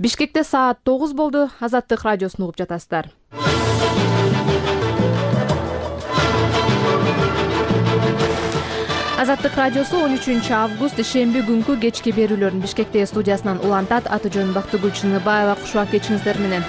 Бишкекте саат 9 болду. Азаттык радиосун угуп жатасыздар. Азаттык радиосу 13 август шемби күнкү кечки берүүлөрүн Бишкекте студиясынан улантат. Аты жөнүм Бактыгүл Чыныбаева. Кушубак кечиңиздер менен.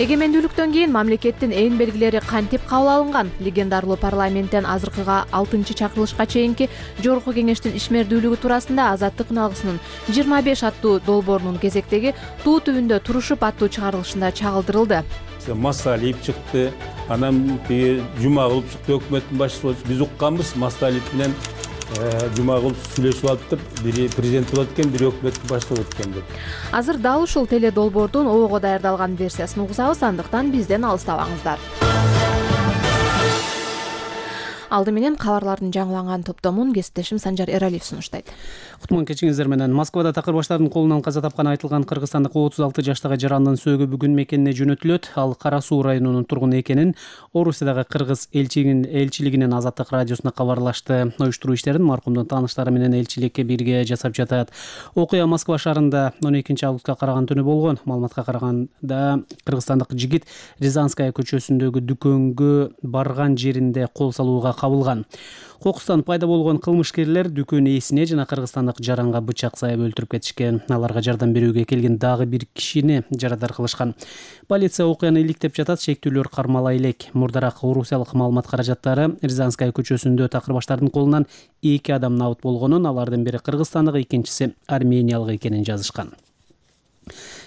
Эгемендүүлүктөн кийин мамлекеттин эң белгилери кантип кабыл алынган? Легендарлуу парламенттен азыркыга 6-чакырылышка чейинки Жогорку кеңештин ишмердүүлүгү туурасында Азаттык үналгысынын 25 аттуу долбоорунун кезектеги Туу түбүндө турушуп аттуу чыгарылышында чагылдырылды. Масалиев чыкты, анан Жумагулов чыкты, өкмөттүн башчысы. Биз укканбыз, Масалиев менен Жумагулов сүйлөшүп алыптыр. Бири президент болот экен, бири өкмөттүн башчысы болот экен деп. Азыр дал ушул теле долбоордун ого даярдалган версиясын угсабыз, андыктан бизден алыстабаңыздар. Алды менен кабарлардын жаңыланган топтомун кесиптешим Санжар Эралиев сунуштайт. Кутман кечиңиздер менен. Москвада такыр баштардын колунан каза тапканы айтылган кыргызстандык 36 жаштагы жарандын сөөгү бүгүн мекенине жөнөтүлөт. Ал Кара Суу районунун тургуну экенин Орусиядагы кыргыз элчилигинин Азаттык радиосуна кабарлашты. Уюштуруу иштерин маркумдун тааныштары менен элчиликке бирге жасап жатат. Окуя Москва шаарында 12 августка караган түнү болгон. Маалыматка караганда кыргызстандык жигит Рязанская көчөсүндөгү дүкөнгө барган жеринде кол салууга кабылган. Кокустан пайда болгон кылмышкерлер дүкөн ээсине жана кыргызстандык жаранга бычак сайып өлтүрүп кетишкен. Аларга жардам берүүгө келген дагы бир кишини жарадар кылышкан. Полиция окуяны иликтеп жатат, шектүүлөр кармала элек. Мурдараак орусиялык маалымат каражаттары Рязанская көчөсүндө такыр баштардын колунан 2 адам набыт болгонун, алардын бири кыргызстандык, экинчиси армениялык экенин жазышкан.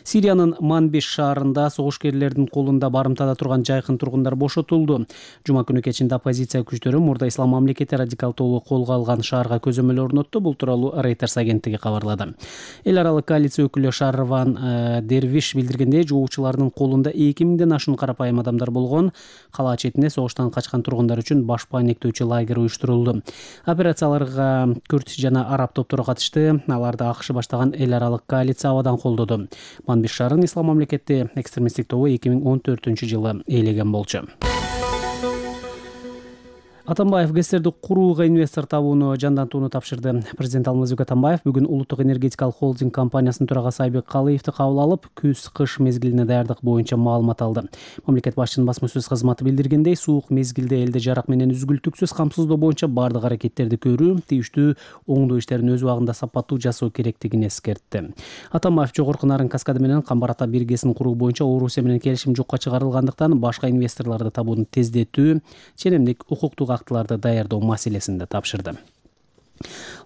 Сириянын Манбиш шаарында согушкерлердин колунда барымтада турган жайкын тургундар бошотулду. Жума күнү кечинде оппозиция күчтөрү Мурда Ислам мамлекети радикал тобу колго алган шаарга көзөмөл орнотту. Бул тууралуу Reuters агенттиги кабарлады. Эл аралык коалиция өкүлү Шарван Дервиш билдиргендей, жоочулардын колунда 2000ден ашуун карапайым адамдар болгон. Кала четинде согуштан качкан тургундар үчүн баш паниктөөчү лагерь уюштурулду. Операцияларга күрд жана араб топтору катышты. Аларды АКШ баштаган эл аралык коалиция абадан колдоду. Манбиш шаарын Ислам мамлекети экстремисттик тобу 2014-жылы ээлеген болчу. Атамбаев ГЭСтерди курууга инвестор табууну жандантууну тапшырды. Президент Алмазбек Атамбаев бүгүн Улуттук энергетикалык холдинг компаниясынын төрагасы Айбек Калыевди кабыл алып, күз-кыш мезгилине даярдык боюнча маалымат алды. Мамлекет башчынын басма сөз кызматы билдиргендей, суук мезгилде элди жарак менен үзгүлтүксүз камсыздоо боюнча бардык аракеттерди көрүү, тийиштүү оңдоо иштерин өз убагында сапаттуу жасоо керектигин эскертти. Атамбаев жогорку Нарын каскады менен Камбар ата биргесин куруу боюнча Орусия менен келишим жокко чыгарылгандыктан башка инвесторлорду табууну тездетүү, ченемдик укуктук актыларды даярдоо маселесинде тапшырды.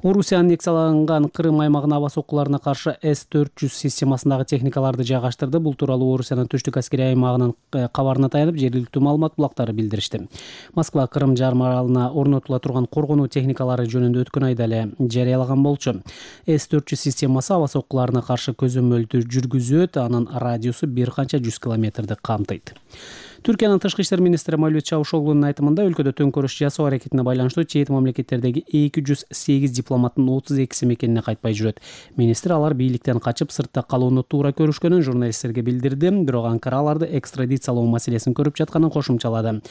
Орусия аннексияланган Крым аймагына аба соккуларына каршы С-400 системасындагы техникаларды жайгаштырды. Бул тууралуу Орусиянын түштүк аскерий аймагынын кабарына таянып, жергиликтүү маалымат булактары билдиришти. Москва Крым жарым аралына орнотула турган коргонуу техникалары жөнүндө өткөн айда эле жарыялаган болчу. С-400 системасы аба соккуларына каршы көзөмөлдү жүргүзөт, анын радиусу бир канча 100 километрди камтыйт. Түркиянын тышкы иштер министри Мавлют Чавушоглунун айтымында, өлкөдө төңкөрүш жасоо аракетине байланыштуу чет мамлекеттердеги 208 дипломаттын 32си мекенине кайтпай жүрөт. Министр алар бийликтен качып сыртта калууну туура көрүшкөнүн журналисттерге билдирди, бирок Анкара аларды экстрадициялоо маселесин көрүп жатканын кошумчалады.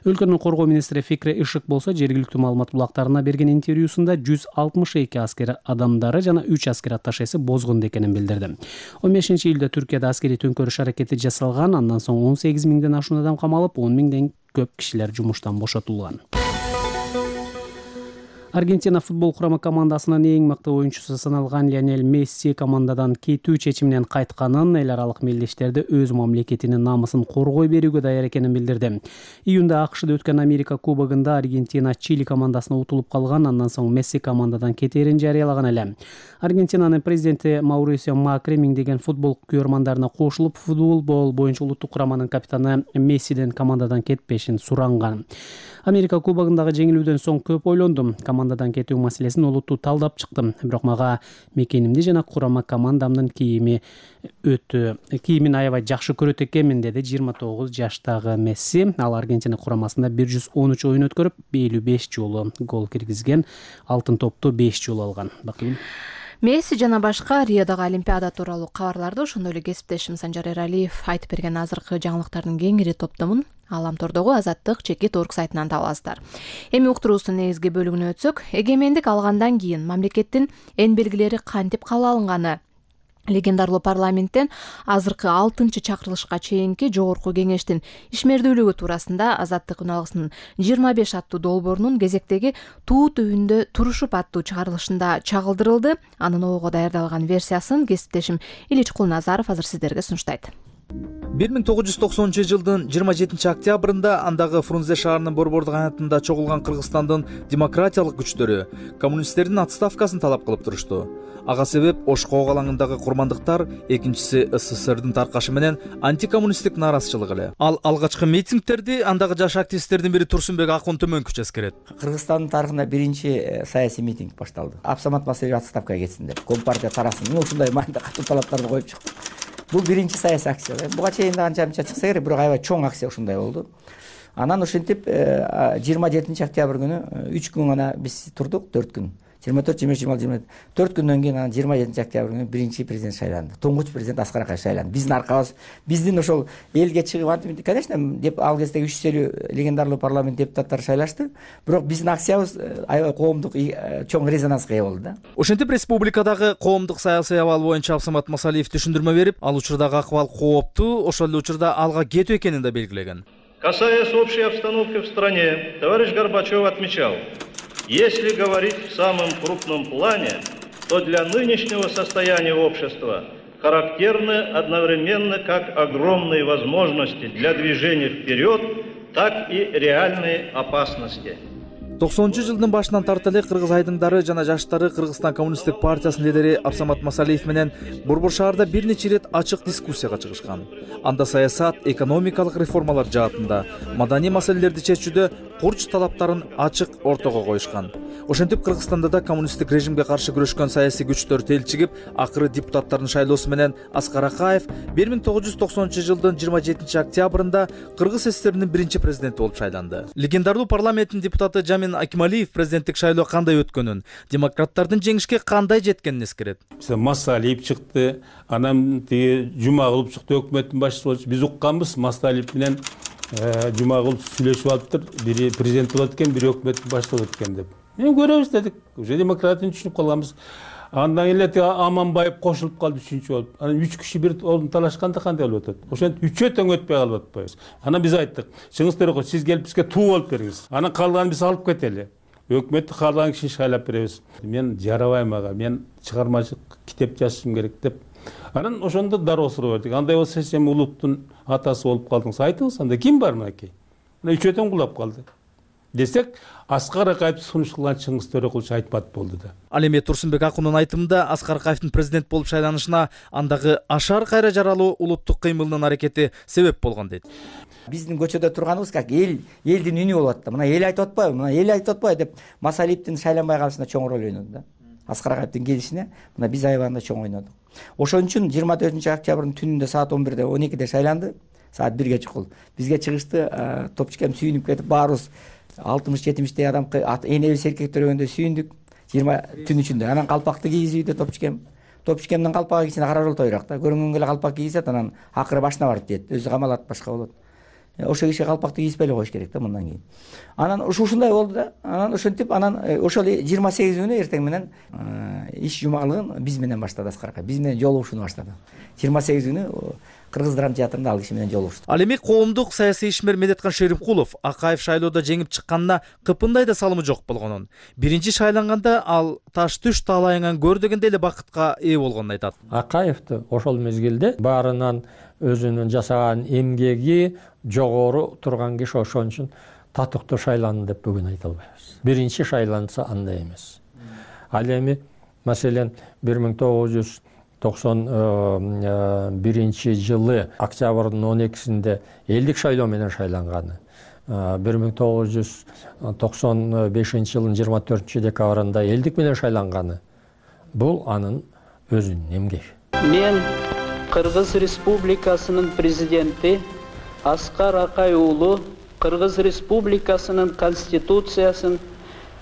Өлкөнүн коргоо министри Фикре Ишик болсо, жергиликтүү маалымат булактарына берген интервьюсунда 162 аскер адамдары жана 3 аскер атташеси бозгунду экенин билдирди. 15-ийлде Түркияда аскерий төңкөрүш аракети жасалган, андан соң 18 миңден ашуун адам камалып, 10 миңден көп кишилер жумуштан бошотулган. Аргентина футбол курама командасынын эң мыкты оюнчусу саналган Лионель Месси командадан кетүү чечиминен кайтканын, эл аралык мелдештерди өз мамлекетинин намысын коргой берүүгө даяр экенин билдирди. Июнда АКШда өткөн Америка кубогунда Аргентина Чили командасына утулуп калган, андан соң Месси командадан кетерин жарыялаган эле. Аргентинанын президенти Маурисио Макри миңдеген футбол күйөрмандарына кошулуп, футбол боюнча улуттук кураманын капитаны Мессиден командадан кетпешин суранган. Америка кубогундагы жеңилүүдөн соң көп ойлондум. Командадан кетүү маселесин олуттуу талдап чыктым. Бирок мага мекенимди жана курама командамдын кийимин аябай жакшы көрөт экенмин, деди 29 жаштагы Месси. Ал Аргентина курамасында 113 оюн өткөрүп, 55 жолу гол киргизген, алтын топту 5 жолу алган. Месси жана башка Риодогу Олимпиада тууралуу кабарларды ошондой эле кесиптешим Санжар Эралиев айтып берген азыркы жаңылыктардын кеңири топтомун Ааламтордогу Азаттык /Торг сайтынан таба аласыздар. Эми уктуруубуздун негизги бөлүгүнө өтсөк, эгемендик алгандан кийин мамлекеттин эн белгилери кантип кабыл алынганы, легендарлуу парламенттен азыркы 6-чакырылышка чейинки жогорку кеңештин ишмердүүлүгү туурасында Азаттык үналгысынын 25 аттуу долбоорунун кезектеги туу түбүндө турушуп аттуу чыгарылышында чагылдырылды. Анын ого даярдалган версиясын кесиптешим Илич Кулназаров азыр сиздерге сунуштайт. 1990 жылдын 27 октябрында андагы Фрунзе шаарынын борбордук аянтында чогулган Кыргызстандын демократиялык күчтөрү коммунисттердин отставкасын талап кылып турушту. Ага себеп Ошкоо алаңындагы курмандыктар, экинчиси СССРдин таркашы менен антикоммунисттик нааразычылык эле. Ал алгачкы митингтерди андагы жаш активисттердин бири Турсунбек Акун Төмөнкүч эскерет. Кыргызстандын тарыхында биринчи саясий митинг башталды. Абсамат Масалиев отставкага кетсин деп, Компартия тарасын. Ушундай маанидә катуу талаптарды коюп чыкты. Бул биринчи саясий акция. Буга чейин да анча-мынча чыкса керек, бирок аябай чоң акция ушундай болду. Анан ошентип 27 октябрь күнү 3 күн гана биз турдук, 4 күн. 24, 25, 26, 4 күндөн кийин анан 27 октябрь күнү биринчи президент шайланды. Туңгуч президент Аскар Акаев шайланды. Биздин аркабыз, биздин ошол элге чыгып антип, конечно, деп ал кезде 300 легендарлуу парламент депутаттары шайлашты, бирок биздин акциябыз аябай коомдук чоң резонанска ээ болду да. Ошентип республикадагы коомдук саясий абал боюнча Абсамат Масалиев түшүндүрмө берип, ал учурдагы акыбал кооптуу, ошол эле учурда алга кетүү экенин да белгилеген. Касаясь общей обстановки в стране, товарищ Горбачев отмечал: если говорить в самом крупном плане, то для нынешнего состояния общества характерны одновременно как огромные возможности для движения вперед, так и реальные опасности. 90 жылдын башынан тарта эле кыргыз айдыңдары жана жаштары Кыргызстан коммунисттик партиясынын лидери Абсамат Масалиев менен Борбор шаарда бир нече ирет ачык дискуссияга чыгышкан. Анда саясат, экономикалык реформалар жаатында, маданий маселелерди чечүүдө курч талаптарын ачык ортого коюшкан. Ошентип Кыргызстанда да коммунисттик режимге каршы күрөшкөн саясий күчтөр телчигип, акыры депутаттардын шайлоосу менен Аскар Акаев 1990 жылдын 27 октябрында Кыргыз СССРинин биринчи президенти болуп шайланды. Легендарлуу парламенттин депутаты Жамин Акималиев президенттик шайлоо кандай өткөнүн, демократтардын жеңишке кандай жеткенин эскерет. Масалиев чыкты, анан Жумагулов чыкты, өкмөттүн башчысы болчу. Биз укканбыз, Масалиев менен Жумагулов сүйлөшүп алыптыр, бири президент болот экен, бири өкмөттүн башчысы болот экен деп. Мен көрөбүз дедик, уже демократияны түшүнүп калганбыз. Андан эле Аманбаев кошулуп калды үчүнчү болуп. Анан 3 киши бир орун талашканда кандай болуп атат? Ошентип 3 тең өтпөй калып атпайбыз. Анан биз айттык, чыңгыз Төрөкөл, сиз келип бизге туу болуп бериңиз. Анан калганын биз алып кетели. Өкмөттү каалаган кишини шайлап беребиз. Мен жарабайм ага, мен чыгармачылык китеп жазышым керек деп. Анан ошондо дароо суроо бердик. Андай болсо сен улуттун атасы болуп калдыңыз, айтыңыз, анда ким бар мынакей? Мына 3 тең кулап калды. Десек, Аскар Акаев сунуш кылган Чыңгыз Төрөкулчу айтпат болду да. Ал эми Турсунбек Акундун айтымында Аскар Акаевдин президент болуп шайланышына андагы ашар кайра жаралуу улуттук кыймылынын аракети себеп болгон дейт. Биздин көчөдө турганыбыз как элдин үнү болуп атты. Мына эл айтып атпайбы? Мына эл айтып атпайбы деп Масалиевдин шайланбай калышына чоң роль ойноду да. Аскар Акаевдин келишине мына биз аябагында чоң ойнодук. Ошон үчүн 24 октябрдын түнүндө саат 11-де 12-де шайланды. Саат 1-ге чыкыл. Бизге чыгышты, топчукем сүйүнүп кетип баарыбыз 60-70 адам энебиз эркектер өгөндө сүйүндүк 20 түн ичинде. Анан калпакты кийгизип үйдө топчукемдин калпагы кийсин кара жол тойрак да. Көрүнгөнгө эле калпак кийгизет, анан акыры башына барып тиет. Өзү камалат, башка болот. Ошо киши калпакты кийиспей эле коюш керек да мындан кийин. Анан ушундай болду да. Анан ошентип ошол 28 күнү эртең менен иш жумалыгын биз менен баштады Аскар Акаев. Биз менен жолугушууну баштады. 28 күнү Кыргыз драма театрында ал киши менен жолугушту. Ал эми коомдук саясий ишмер Медеткан Шеримкулов Акаев шайлоодо жеңип чыкканына кыпындай да салымы жок болгонун, биринчи шайланганда ал таш түш талайыңан көр дегендей эле бакытка ээ болгонун айтат. Акаевди ошол мезгилде баарынан өзүнүн жасаган эмгеги жогору турган киши, ошон үчүн татыктуу шайланды деп бүгүн айта албайбыз. Биринчи шайланса андай эмес. Ал эми маселен 1991 жылы октябрдын 12-синде элдик шайлоо менен шайланганы. 1995 жылдын 24 декабрында элдик менен шайланганы. Бул анын өзүнүн эмгеги. Мен Кыргыз Республикасынын президенти Аскар Акаев уулу Кыргыз Республикасынын конституциясын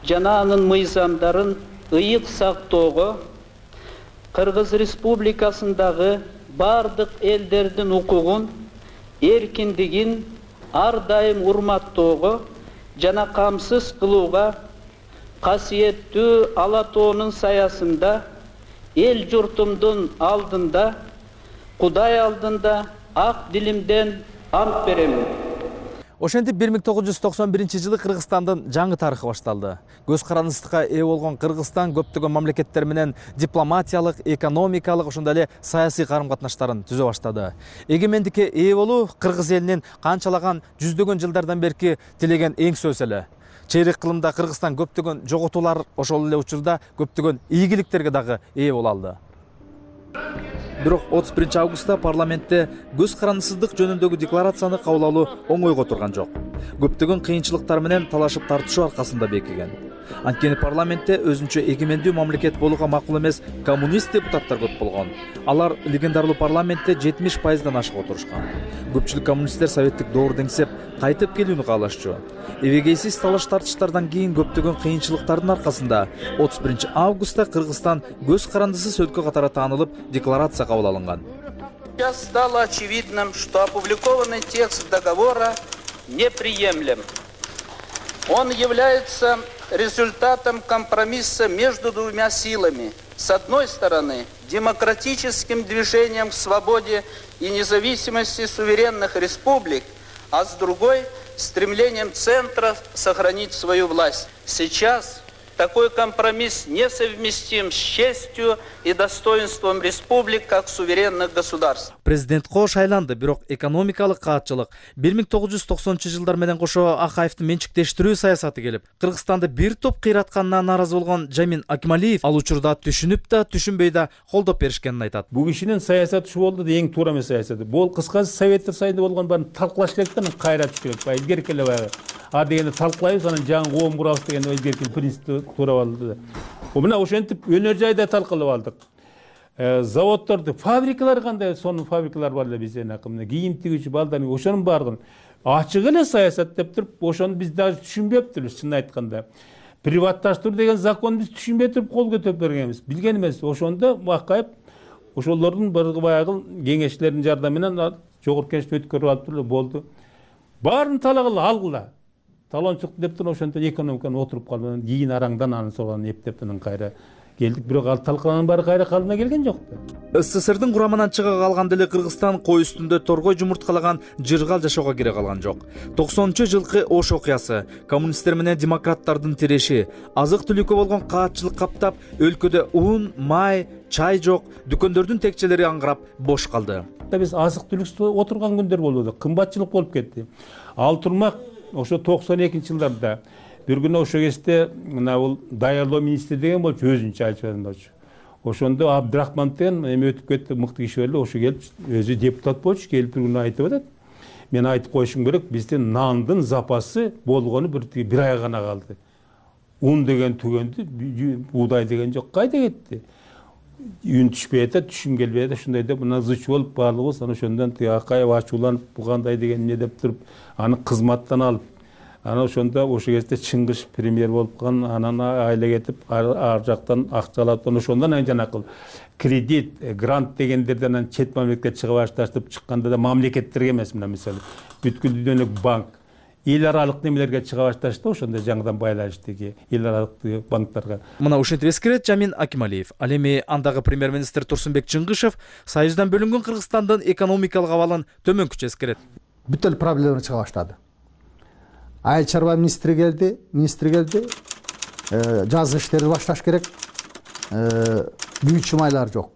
жана анын мыйзамдарын ыйык сактоого Кыргыз Республикасындагы бардык элдердин укугун, эркиндигин ар дайым урматтоого жана камсыз кылууга, касиеттүү Ала тоонун саясында эл журтумдун алдында, Кудай алдында ак дилимден ант беремин. Ошентип 1991 жылы Кыргызстандын жаңы тарыхы башталды. Көз карандысыкка ээ болгон Кыргызстан көптөгөн мамлекеттер менен дипломатиялык, экономикалык, ошондой эле саясий карым-катнаштарын түзө баштады. Эгемендикке ээ болуу кыргыз элинин канчалаган жүздөгөн жылдардан берки тилеген эң сөз эле. Чейрек кылымда Кыргызстан көптөгөн жоготуулар, ошол эле учурда көптөгөн ийгиликтерге дагы ээ боло алды. Бирок 31 августта парламентте көз карандысыздык жөнүндөгү декларацияны кабыл алуу оңойго турган жок. Көптөгөн кыйынчылыктар менен талашып тартышуу аркасында бекиген. Анткени парламентте өзүнчө эгемендүү мамлекет болууга макул эмес коммунист депутаттар көп болгон. Алар легендарлуу парламентте 70%дан ашык отурушкан. Көпчүлүк коммунисттер советтик доор деңсеп кайтып келүүнү каалашчу. Эбегейсиз талаш тартыштардан кийин көптөгөн кыйынчылыктардын аркасында 31 августта Кыргызстан көз карандысыз өлкө катары таанылып, декларация кабыл алынган. Сейчас стало очевидным, что опубликованный текст договора неприемлем. Он является результатом компромисса между двумя силами. С одной стороны, демократическим движением к свободе и независимости суверенных республик, а с другой – стремлением центра сохранить свою власть. Сейчас такой компромисс несовместим с честью и достоинством республик как суверенных государств. Президентко шайланды, бирок экономикалык каатчылык 1990-жылдар менен кошо Акаевдин менчиктештирүү саясаты келип, Кыргызстанды бир топ кыйратканына нааразы болгон Жамин Акималиев ал учурда түшүнүп да, түшүнбөй да колдоп беришкенин айтат. Бул кишинин саясаты ушу болду да, эң туура эмес саясаты. Бул кыскасы Советтер Союзунда болгон баарын талкылаш керек да, кайратыш керек. Баягы илгерки эле баягы. А дегенди талкылайбыз, анан жаңы коом курабыз деген илгерки принципти туура болду. Мына ошентип өнөр жайда талкылап алдык. Заводдорду, фабрикалар кандай, сонун фабрикалар бар эле бизден акымда. Кийим тигүүчү балдарын ошонун баардыгын ачык эле саясат деп туруп, ошону биз даже түшүнбөптүрбүз, чынын айтканда. Приватташтыруу деген закон биз түшүнбөй туруп кол көтөрүп бергенбиз. Билген эмес. Ошондо Акаев ошолордун баягы кеңешчилердин жардамы менен жогорку кеңешти өткөрүп алып туруп болду. Баарын талагыла алгыла. Талончулук деп туруп ошентип экономиканы отуруп калды. Кийин араңдан анын соған эптеп кайра келдик, бирок ал талкаланын баары кайра калыбына келген жок да. СССРдин курамынан чыга калганда эле Кыргызстан кой үстүндө торгой жумурткалаган жыргал жашоого кире калган жок. 90-жылкы Ош окуясы, коммунисттер менен демократтардын тиреши, азык-түлүккө болгон каатчылык каптап, өлкөдө ун, май, чай жок, дүкөндөрдүн текчелери аңгырап бош калды. Биз азык-түлүксүз отурган күндөр болду, кымбатчылык болуп кетти. Ал турмак ошо 92-жылдарда бир күнү ошо кезде мына бул даярдоо министри деген болчу, өзүнчө айтып болчу. Ошондо Абдрахман деген эме өтүп кетти, мыкты киши эле, ошо келип өзү депутат болчу, келип бир күнү айтып атат. Мен айтып коюшум керек, биздин нандын запасы болгону бир ай гана калды. Un деген түгөндү, буудай деген жок, кайда кетти? Үн түшпөй атат, түшүм келбей атат, ушундай деп мына зыч болуп баардыгыбыз анан ошондон Акаев ачууланып, бу кандай деген эмне деп туруп, аны кызматтан алып, анан ошондо ошо кезде Чыңгыш премьер болуп калган, анан айла кетип, ар жактан акча алып, ошондон анан жанакыл кредит, грант дегендерден анан чет мамлекетке чыга башташып чыкканда да мамлекеттерге эмес, мына мисалы бүткүл дүйнөлүк банк, эл аралык немелерге чыга башташты, ошондо жаңыдан байланыштагы эл аралык банктарга. Мына ушинтип эскерет Жамин Акималиев. Ал эми андагы премьер-министр Турсунбек Чыңгышев Союздан бөлүнгөн Кыргызстандын экономикалык абалын төмөнкүчө эскерет. Бүт эле проблема чыга баштады. Айыл чарба министри келди, жазгы иштерди башташ керек. Büyük майлар жок.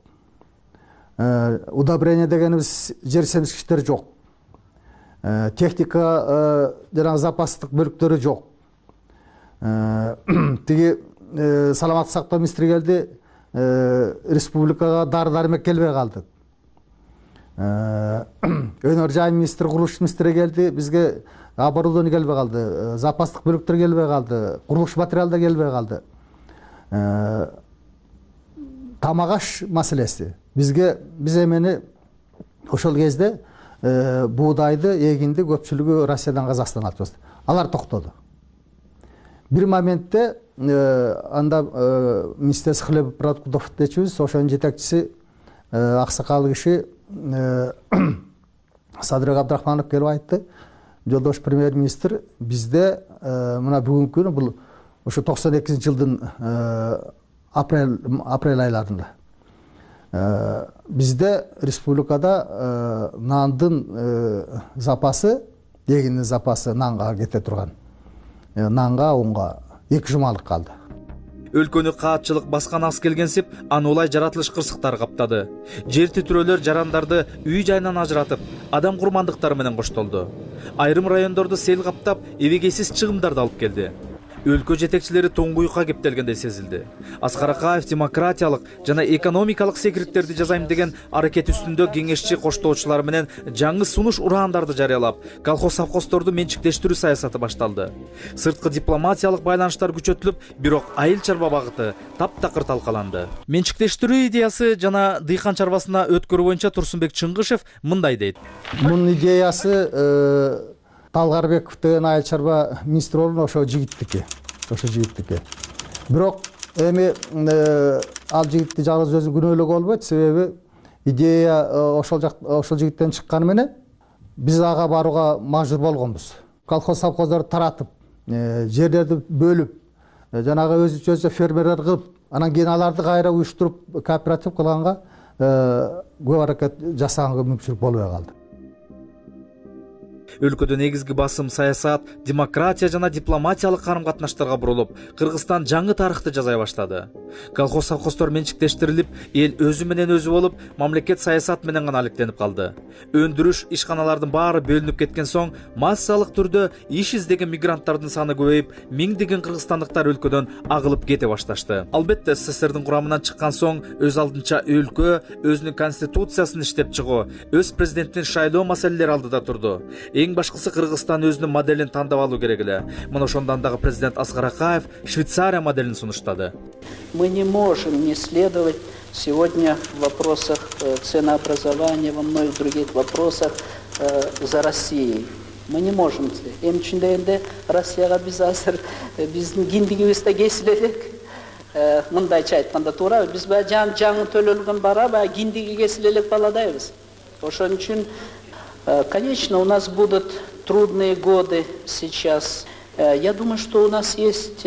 Удобрение дегенибиз жер семизгичтер жок. Техника жана запастык бөлүктөрү жок. Тиги саламаттык сактоо министри келди, республикага дары-дармек келбей калды. Өнөр жай министри, курулуш министри келди, бизге оборудование келбей калды, запастык бөлүктөр келбей калды, курулуш материалдар келбей калды. Тамагаш маселеси. Биз эмени ошол кезде buğdaydı, егинди көпчүлүгү Россиядан Казакстанга алып чыкты. Алар токтоду. Бир моментте анда министерство хлебопродуктов дечүбүз, ошонун жетекчиси аксакал киши Садырбек Абдрахманов келип айтты, жолдош премьер-министр, бизде мына бүгүнкү күнү бул ошо 92-жылдын апрель айларында бизде республикада нандын запасы, эгиндин запасы нанга кете турган. Нанга, унга 2 жумалык калды. Өлкөнү каатчылык баскан аз келгенсип, аны улай жаратылыш кырсыктары каптады. Жер титирөөлөр жарандарды үй жайынан ажыратып, адам курмандыктары менен коштолду. Айрым райондорду сел каптап, эбегейсиз чыгымдарды алып келди. Өлкө жетекчилери тоңгуюкка кептелгендей сезилди. Аскар Акаев демократиялык жана экономикалык секириттерди жазайм деген аракет үстүндө кеңешчи коштоочулар менен жаңы сунуш ураандарды жарыялап, колхоз-совхоздорду менчиктештирүү саясаты башталды. Сырткы дипломатиялык байланыштар күчөтүлүп, бирок айыл чарба багыты таптакыр талкаланды. Менчиктештирүү идеясы жана дыйкан чарбасына өткөрүү боюнча Турсунбек Чыңгышев мындай дейт. Мунун идеясы Талгарбеков деген айыл чарба министр болгон ошо жигиттики. Бирок эми ал жигитти жалгыз өзү күнөөлөгө болбойт, себеби идея ошол жигиттен чыкканы менен биз ага барууга мажбур болгонбуз. Колхоз-совхоздорду таратып, жерлерди бөлүп, жанагы өзүнчө фермерлер кылып, анан кийин аларды кайра уюштуруп кооператив кылганга көп аракет жасаганга мүмкүнчүлүк болбой калды. Өлкөдө негизги басым саясат, демократия жана дипломатиялык карым-катнаштарга бурулуп, Кыргызстан жаңы тарыхты жазай баштады. Колхоз-совхоздор менчиктештирилип, эл өзү менен өзү болуп, мамлекет саясат менен гана алектенип калды. Өндүрүш ишканалардын баары бөлүнүп кеткен соң, массалык түрдө иш издеген мигранттардын саны көбөйүп, миңдеген кыргызстандыктар өлкөдөн агылып кете башташты. Албетте, СССРдин курамынан чыккан соң, өз алдынча өлкө өзүнүн конституциясын иштеп чыгуу, өз президенттин шайлоо маселелери алдыда турду. Эң башкысы Кыргызстан өзүнүн моделин тандап алуу керек эле. Мына ошондон дагы президент Аскар Акаев Швейцария моделин сунуштады. Мы не можем не следовать сегодня в вопросах ценообразования, во многих других вопросах за Россией. Мы не можем. Эми үчүн дегенде Россияга биз азыр биздин киндигибизде кесиле элек. Мындайча айтканда туура, биз баягы жаңы төлөлгөн бара баягы киндиги кесиле элек баладайбыз. Ошон үчүн конечно, у нас будут трудные годы сейчас. Я думаю, что у нас есть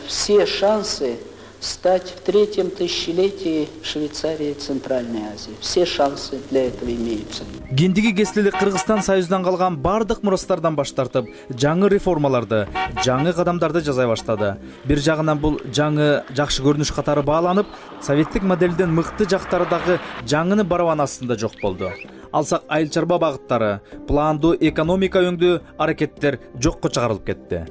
все шансы стать в 3-м тысячелетии Швейцарии и Центральной Азии. Все шансы для этого имеются. Кендиги кесилелик Кыргызстан Союзунан калган бардык мурастардан баш тартып, жаңы реформаларды, жаңы кадамдарды жасай баштады. Бир жагынан бул жаңы жакшы көрүнүш катары бааланып, советтик моделден мыкты жактары дагы жаңыны барабан астында жок болду. Алсак айыл чарба багыттары, пландуу экономика өңдүү аракеттер жокко чыгарылып кетти.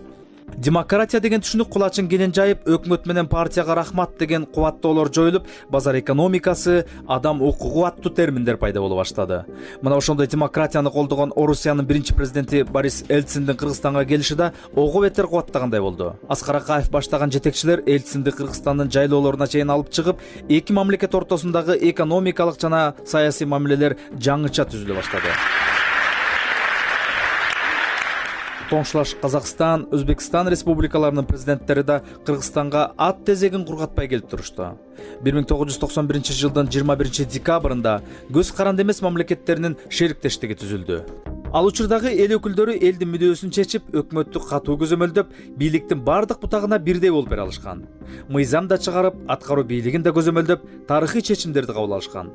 Демократия деген түшүнүк кулачын кенен жайып, өкмөт менен партияга рахмат деген кубаттоолор жоюлуп, базар экономикасы, адам укугу аттуу терминдер пайда боло баштады. Мына ошондой демократияны колдогон Орусиянын биринчи президенти Борис Эльциндин Кыргызстанга келиши да ого бетер кубаттагандай болду. Аскар Акаев баштаган жетекчилер Эльцинди Кыргызстандын жайлоолоруна чейин алып чыгып, эки мамлекет ортосундагы экономикалык жана саясий мамилелер жаңыча түзүлө баштады. Тоңшулаш Казакстан, Өзбекстан республикаларынын президенттери да Кыргызстанга ат тезегин кургатпай келип турушту. 1991 жылдын 21 декабрында көз каранды эмес мамлекеттеринин шериктештиги түзүлдү. Ал учурдагы эл өкүлдөрү элдин мүдөөсүн чечип, өкмөттү катуу көзөмөлдөп, бийликтин бардык бутагына бирдей болуп бере алышкан. Мыйзам да чыгарып, аткаруу бийлигин да көзөмөлдөп, тарыхый чечимдерди кабыл алышкан.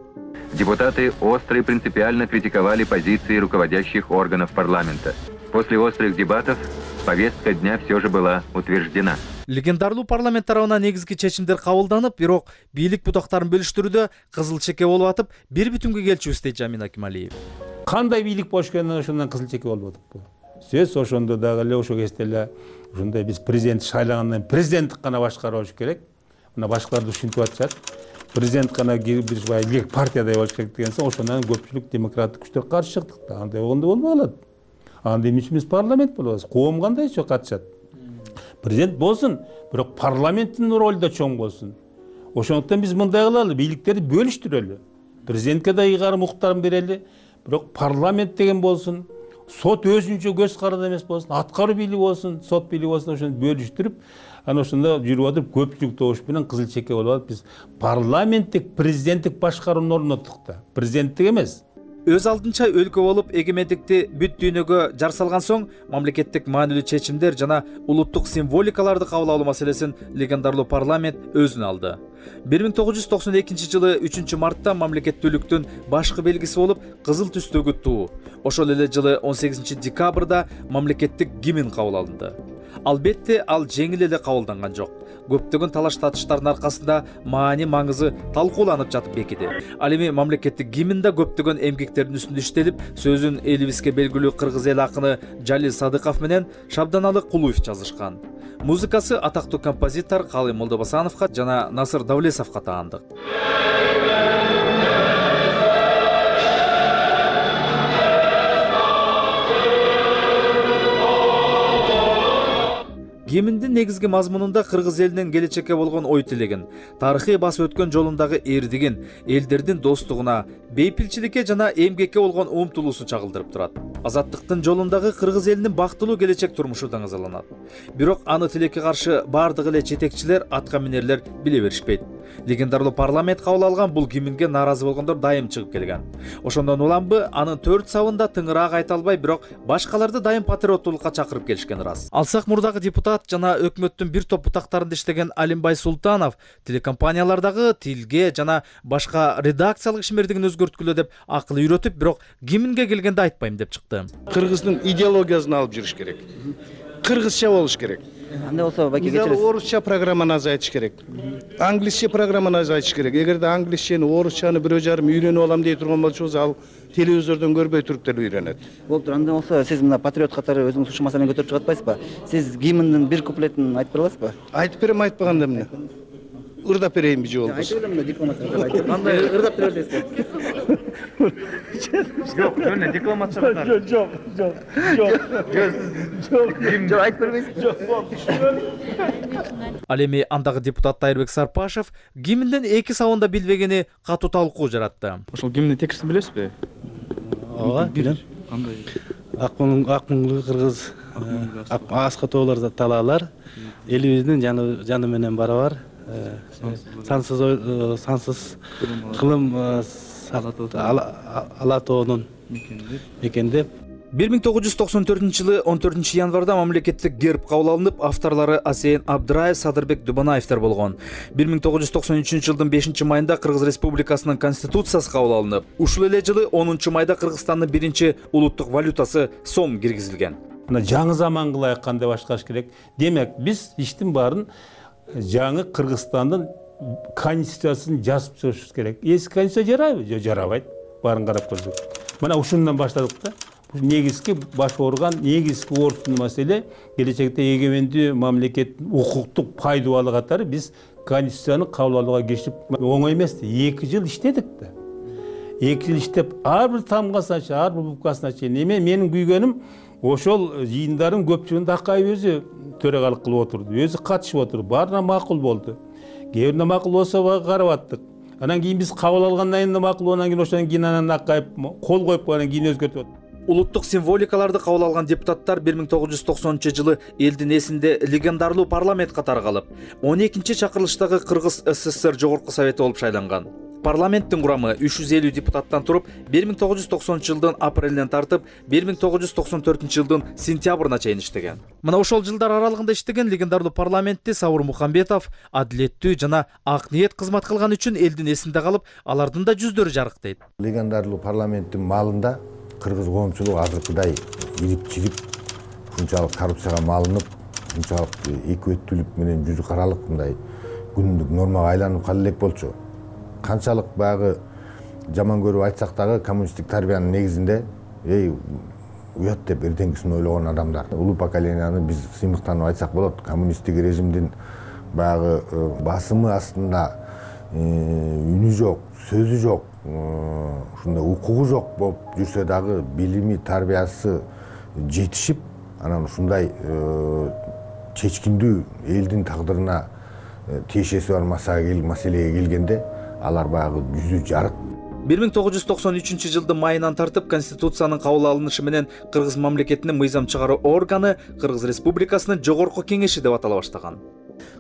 Депутаты остро и принципиально критиковали позиции руководящих органов парламента. После острых дебатов повестка дня все же была утверждена. Легендарлуу парламент тарабынан негизги чечимдер кабылданып, бирок бийлик бутактарын бөлүштүрүүдө кызыл чеке болуп атып, бир бүтүнгө келчүбүз дейт Жамин Акималиев. Кандай бийлик болушканынан ошондон кызыл чеке болуп атып. Сөз ошондо дагы эле ошо кезде эле ушундай биз президент шайлагандан президенттик гана башкаруу болуш керек. Мына башкалар ушинтип атышат. Президент гана бир партиядай болуш керек деген соң ошондон көпчүлүк демократтык күчтөр каршы чыктык да. Андай болгондо болбой калат. Анда эмне үчүн биз парламент болобуз? Коом кандай чоң катышат? Президент болсун, бирок парламенттин ролу да чоң болсун. Ошондуктан биз мындай кылалы, бийликтерди бөлүштүрөлү. Президентке да ыйгарым укуктарын берели, бирок парламент деген болсун, сот өзүнчө көз каранды эмес болсун, аткаруу бийлиги болсун, сот бийлиги болсун, ошону бөлүштүрүп, Ана ошондо жүрүп атып көпчүлүк добуш менен кызыл чекке болуп алып биз парламенттик президенттик башкарууну орноттук да. Президенттик эмес. Өз алдынча өлкө болуп эгемендикти бүт дүйнөгө жар салган соң мамлекеттик маанилүү чечимдер жана улуттук символикаларды кабыл алуу маселесин легендарлуу парламент өзүнө алды. 1992 жылы 3 мартта мамлекеттүүлүктүн башкы белгиси болуп кызыл түстөгү туу. Ошол эле жылы 18 декабрда мамлекеттик гимн кабыл алынды. Албетте ал жеңил эле кабылданган жок. Көптөгөн талаш татыштардын аркасында маани маңызы талкууланып жатып бекиди. Ал эми мамлекеттик гимнда көптөгөн эмгектердин үстүндө иштелип, сөзүн элибизге белгилүү кыргыз эл акыны Жалил Садыков менен Шабданалы Кулуев жазышкан. Музыкасы атактуу композитор Калый Молдобасановго жана Насыр Давлесовго таандык. Гимндин негизги мазмунунда кыргыз элинин келечекке болгон ой тилегин, тарыхый басып өткөн жолундагы эрдигин, элдердин достугуна, бейпилчиликке жана эмгекке болгон умтулуусун чагылдырып турат. Азаттыктын жолундагы кыргыз элинин бактылуу келечек турмушу даңазаланат. Бирок аны тилекке каршы бардык эле жетекчилер, атка минерлер биле беришпейт. Легендарлуу парламент кабыл алган бул гимнге нааразы болгондор дайым чыгып келген. Ошондон уламбы анын 4 сабында тыңыраак айта албай, бирок башкаларды дайым патриоттуулукка чакырып келишкен ырас. Алсак мурдагы депутат жана өкмөттүн бир топ бутактарында иштеген Алимбай Султанов телекомпаниялардагы тилге жана башка редакциялык ишмердигин өзгөрткүлө деп акыл үйрөтүп, бирок гимнге келгенде айтпайм деп чыкты. Кыргыздын идеологиясын алып жүрүш керек. Кыргызча болуш керек. Андай болсо баки кечиресиз. Орусча программаны азайтыш керек. Англисче программаны азайтыш керек. Эгерде англисчени, орусчаны бирөө жарым үйрөнүп алам дей турган болсоңуз, ал телевизордон көрбөй туруп деле үйрөнөт. Болуптур. Андай болсо сиз мына патриот катары өзүңүз ушул маселени көтөрүп чыгып атпайсызбы? Сиз гимндин бир куплетин айтып бера аласызбы? Айтып берем, айтпаганда эмне? Ырдап берейинби же болбосо? Айтып берем, дипломатча айтып. Андай ырдап бере бересизби? Жок, жөн декламация катары. Жок. Жок, айтып бербейсизби? Ал эми андагы депутат Тайырбек Сарпашев гимндин 2 сабында билбегени катуу талкуу жаратты. Ошол гимндин текстин билесизби? Ооба, билем. Кандай? Ак моңду кыргыз, аска тоолор талаалар, элибиздин жаны менен барабар, сансыз кылым ала тоонун мекендеп. 1994 жылы 14 январда мамлекеттик герб кабыл алынып, авторлору Асейин Абдыраев, Садырбек Дубанаевдер болгон. 1993 жылдын 5 майында Кыргыз Республикасынын конституциясы кабыл алынып, ушул эле жылы 10 майда Кыргызстандын биринчи улуттук валютасы сом киргизилген. Мына жаңы заманга ылайык кандай башкарыш керек? Демек, биз иштин баарын жаңы Кыргызстандын конституциясын жазып чыгышыбыз керек. Эски конституция жарайбы? Жок, жарабайт. Баарын карап көрдүк. Мына ушундан баштадык да. Негизги баш орган, негизги ордун маселе келечекте эгемендүү мамлекеттин укуктук пайдубалы катары биз конституцияны кабыл алууга киришип оңой эмес. 2 жыл иштедик да. 2 жыл иштеп, ар бир тамгасына чейин, ар бир букасына чейин. Менин күйгөнүм ошол жыйындардын көпчүлүгүндө Акаев өзү төрагалык кылып отурду, өзү катышып отурду, баарына макул болду. Кээ бирине макул болсо карап аттык. Анан кийин биз кабыл алгандан кийин макул болгондон кийин ошондон кийин анан Акаев кол коюп койгондон кийин өзгөртүп атты. Улуттук символикаларды кабыл алган депутаттар 1990 жылы элдин эсинде легендарлуу парламент катары калып, 12 чакырылыштагы Кыргыз СССР Жогорку Совети болуп шайланган. Парламенттин курамы 350 депутаттан туруп, 1990 жылдын апрелинен тартып, 1994 жылдын сентябрына чейин иштеген. Мына ошол жылдар аралыгында иштеген легендарлуу парламентти Сабыр Мухамбетов адилеттүү жана ак ниет кызмат кылган үчүн элдин эсинде калып, алардын да жүздөрү жарыктайт. Легендарлуу парламенттин малында кыргыз коомчулугу азыркыдай ирип-чирип, ушунчалык коррупцияга малынып, ушунчалык экибеттүүлүк менен жүзү каралык мындай күнүмдүк нормага айланып кала элек болчу. Канчалык баягы жаман көрүп айтсак дагы коммунисттик тарбиянын негизинде уят деп эртеңгисин ойлогон адамдар. Улуу поколенияны биз сыймыктанып айтсак болот. Коммунисттик режимдин баягы басымы астында үнү жок, сөзү жок, ушундай укугу жок болуп жүрсө дагы билими, тарбиясы жетишип, анан ушундай чечкиндүү элдин тагдырына тиешеси бар маселеге келгенде алар баягы жүзү жарык. 1993 жылдын майынан тартып конституциянын кабыл алынышы менен Кыргыз мамлекетинин мыйзам чыгаруу органы Кыргыз Республикасынын Жогорку Кеңеши деп атала баштаган.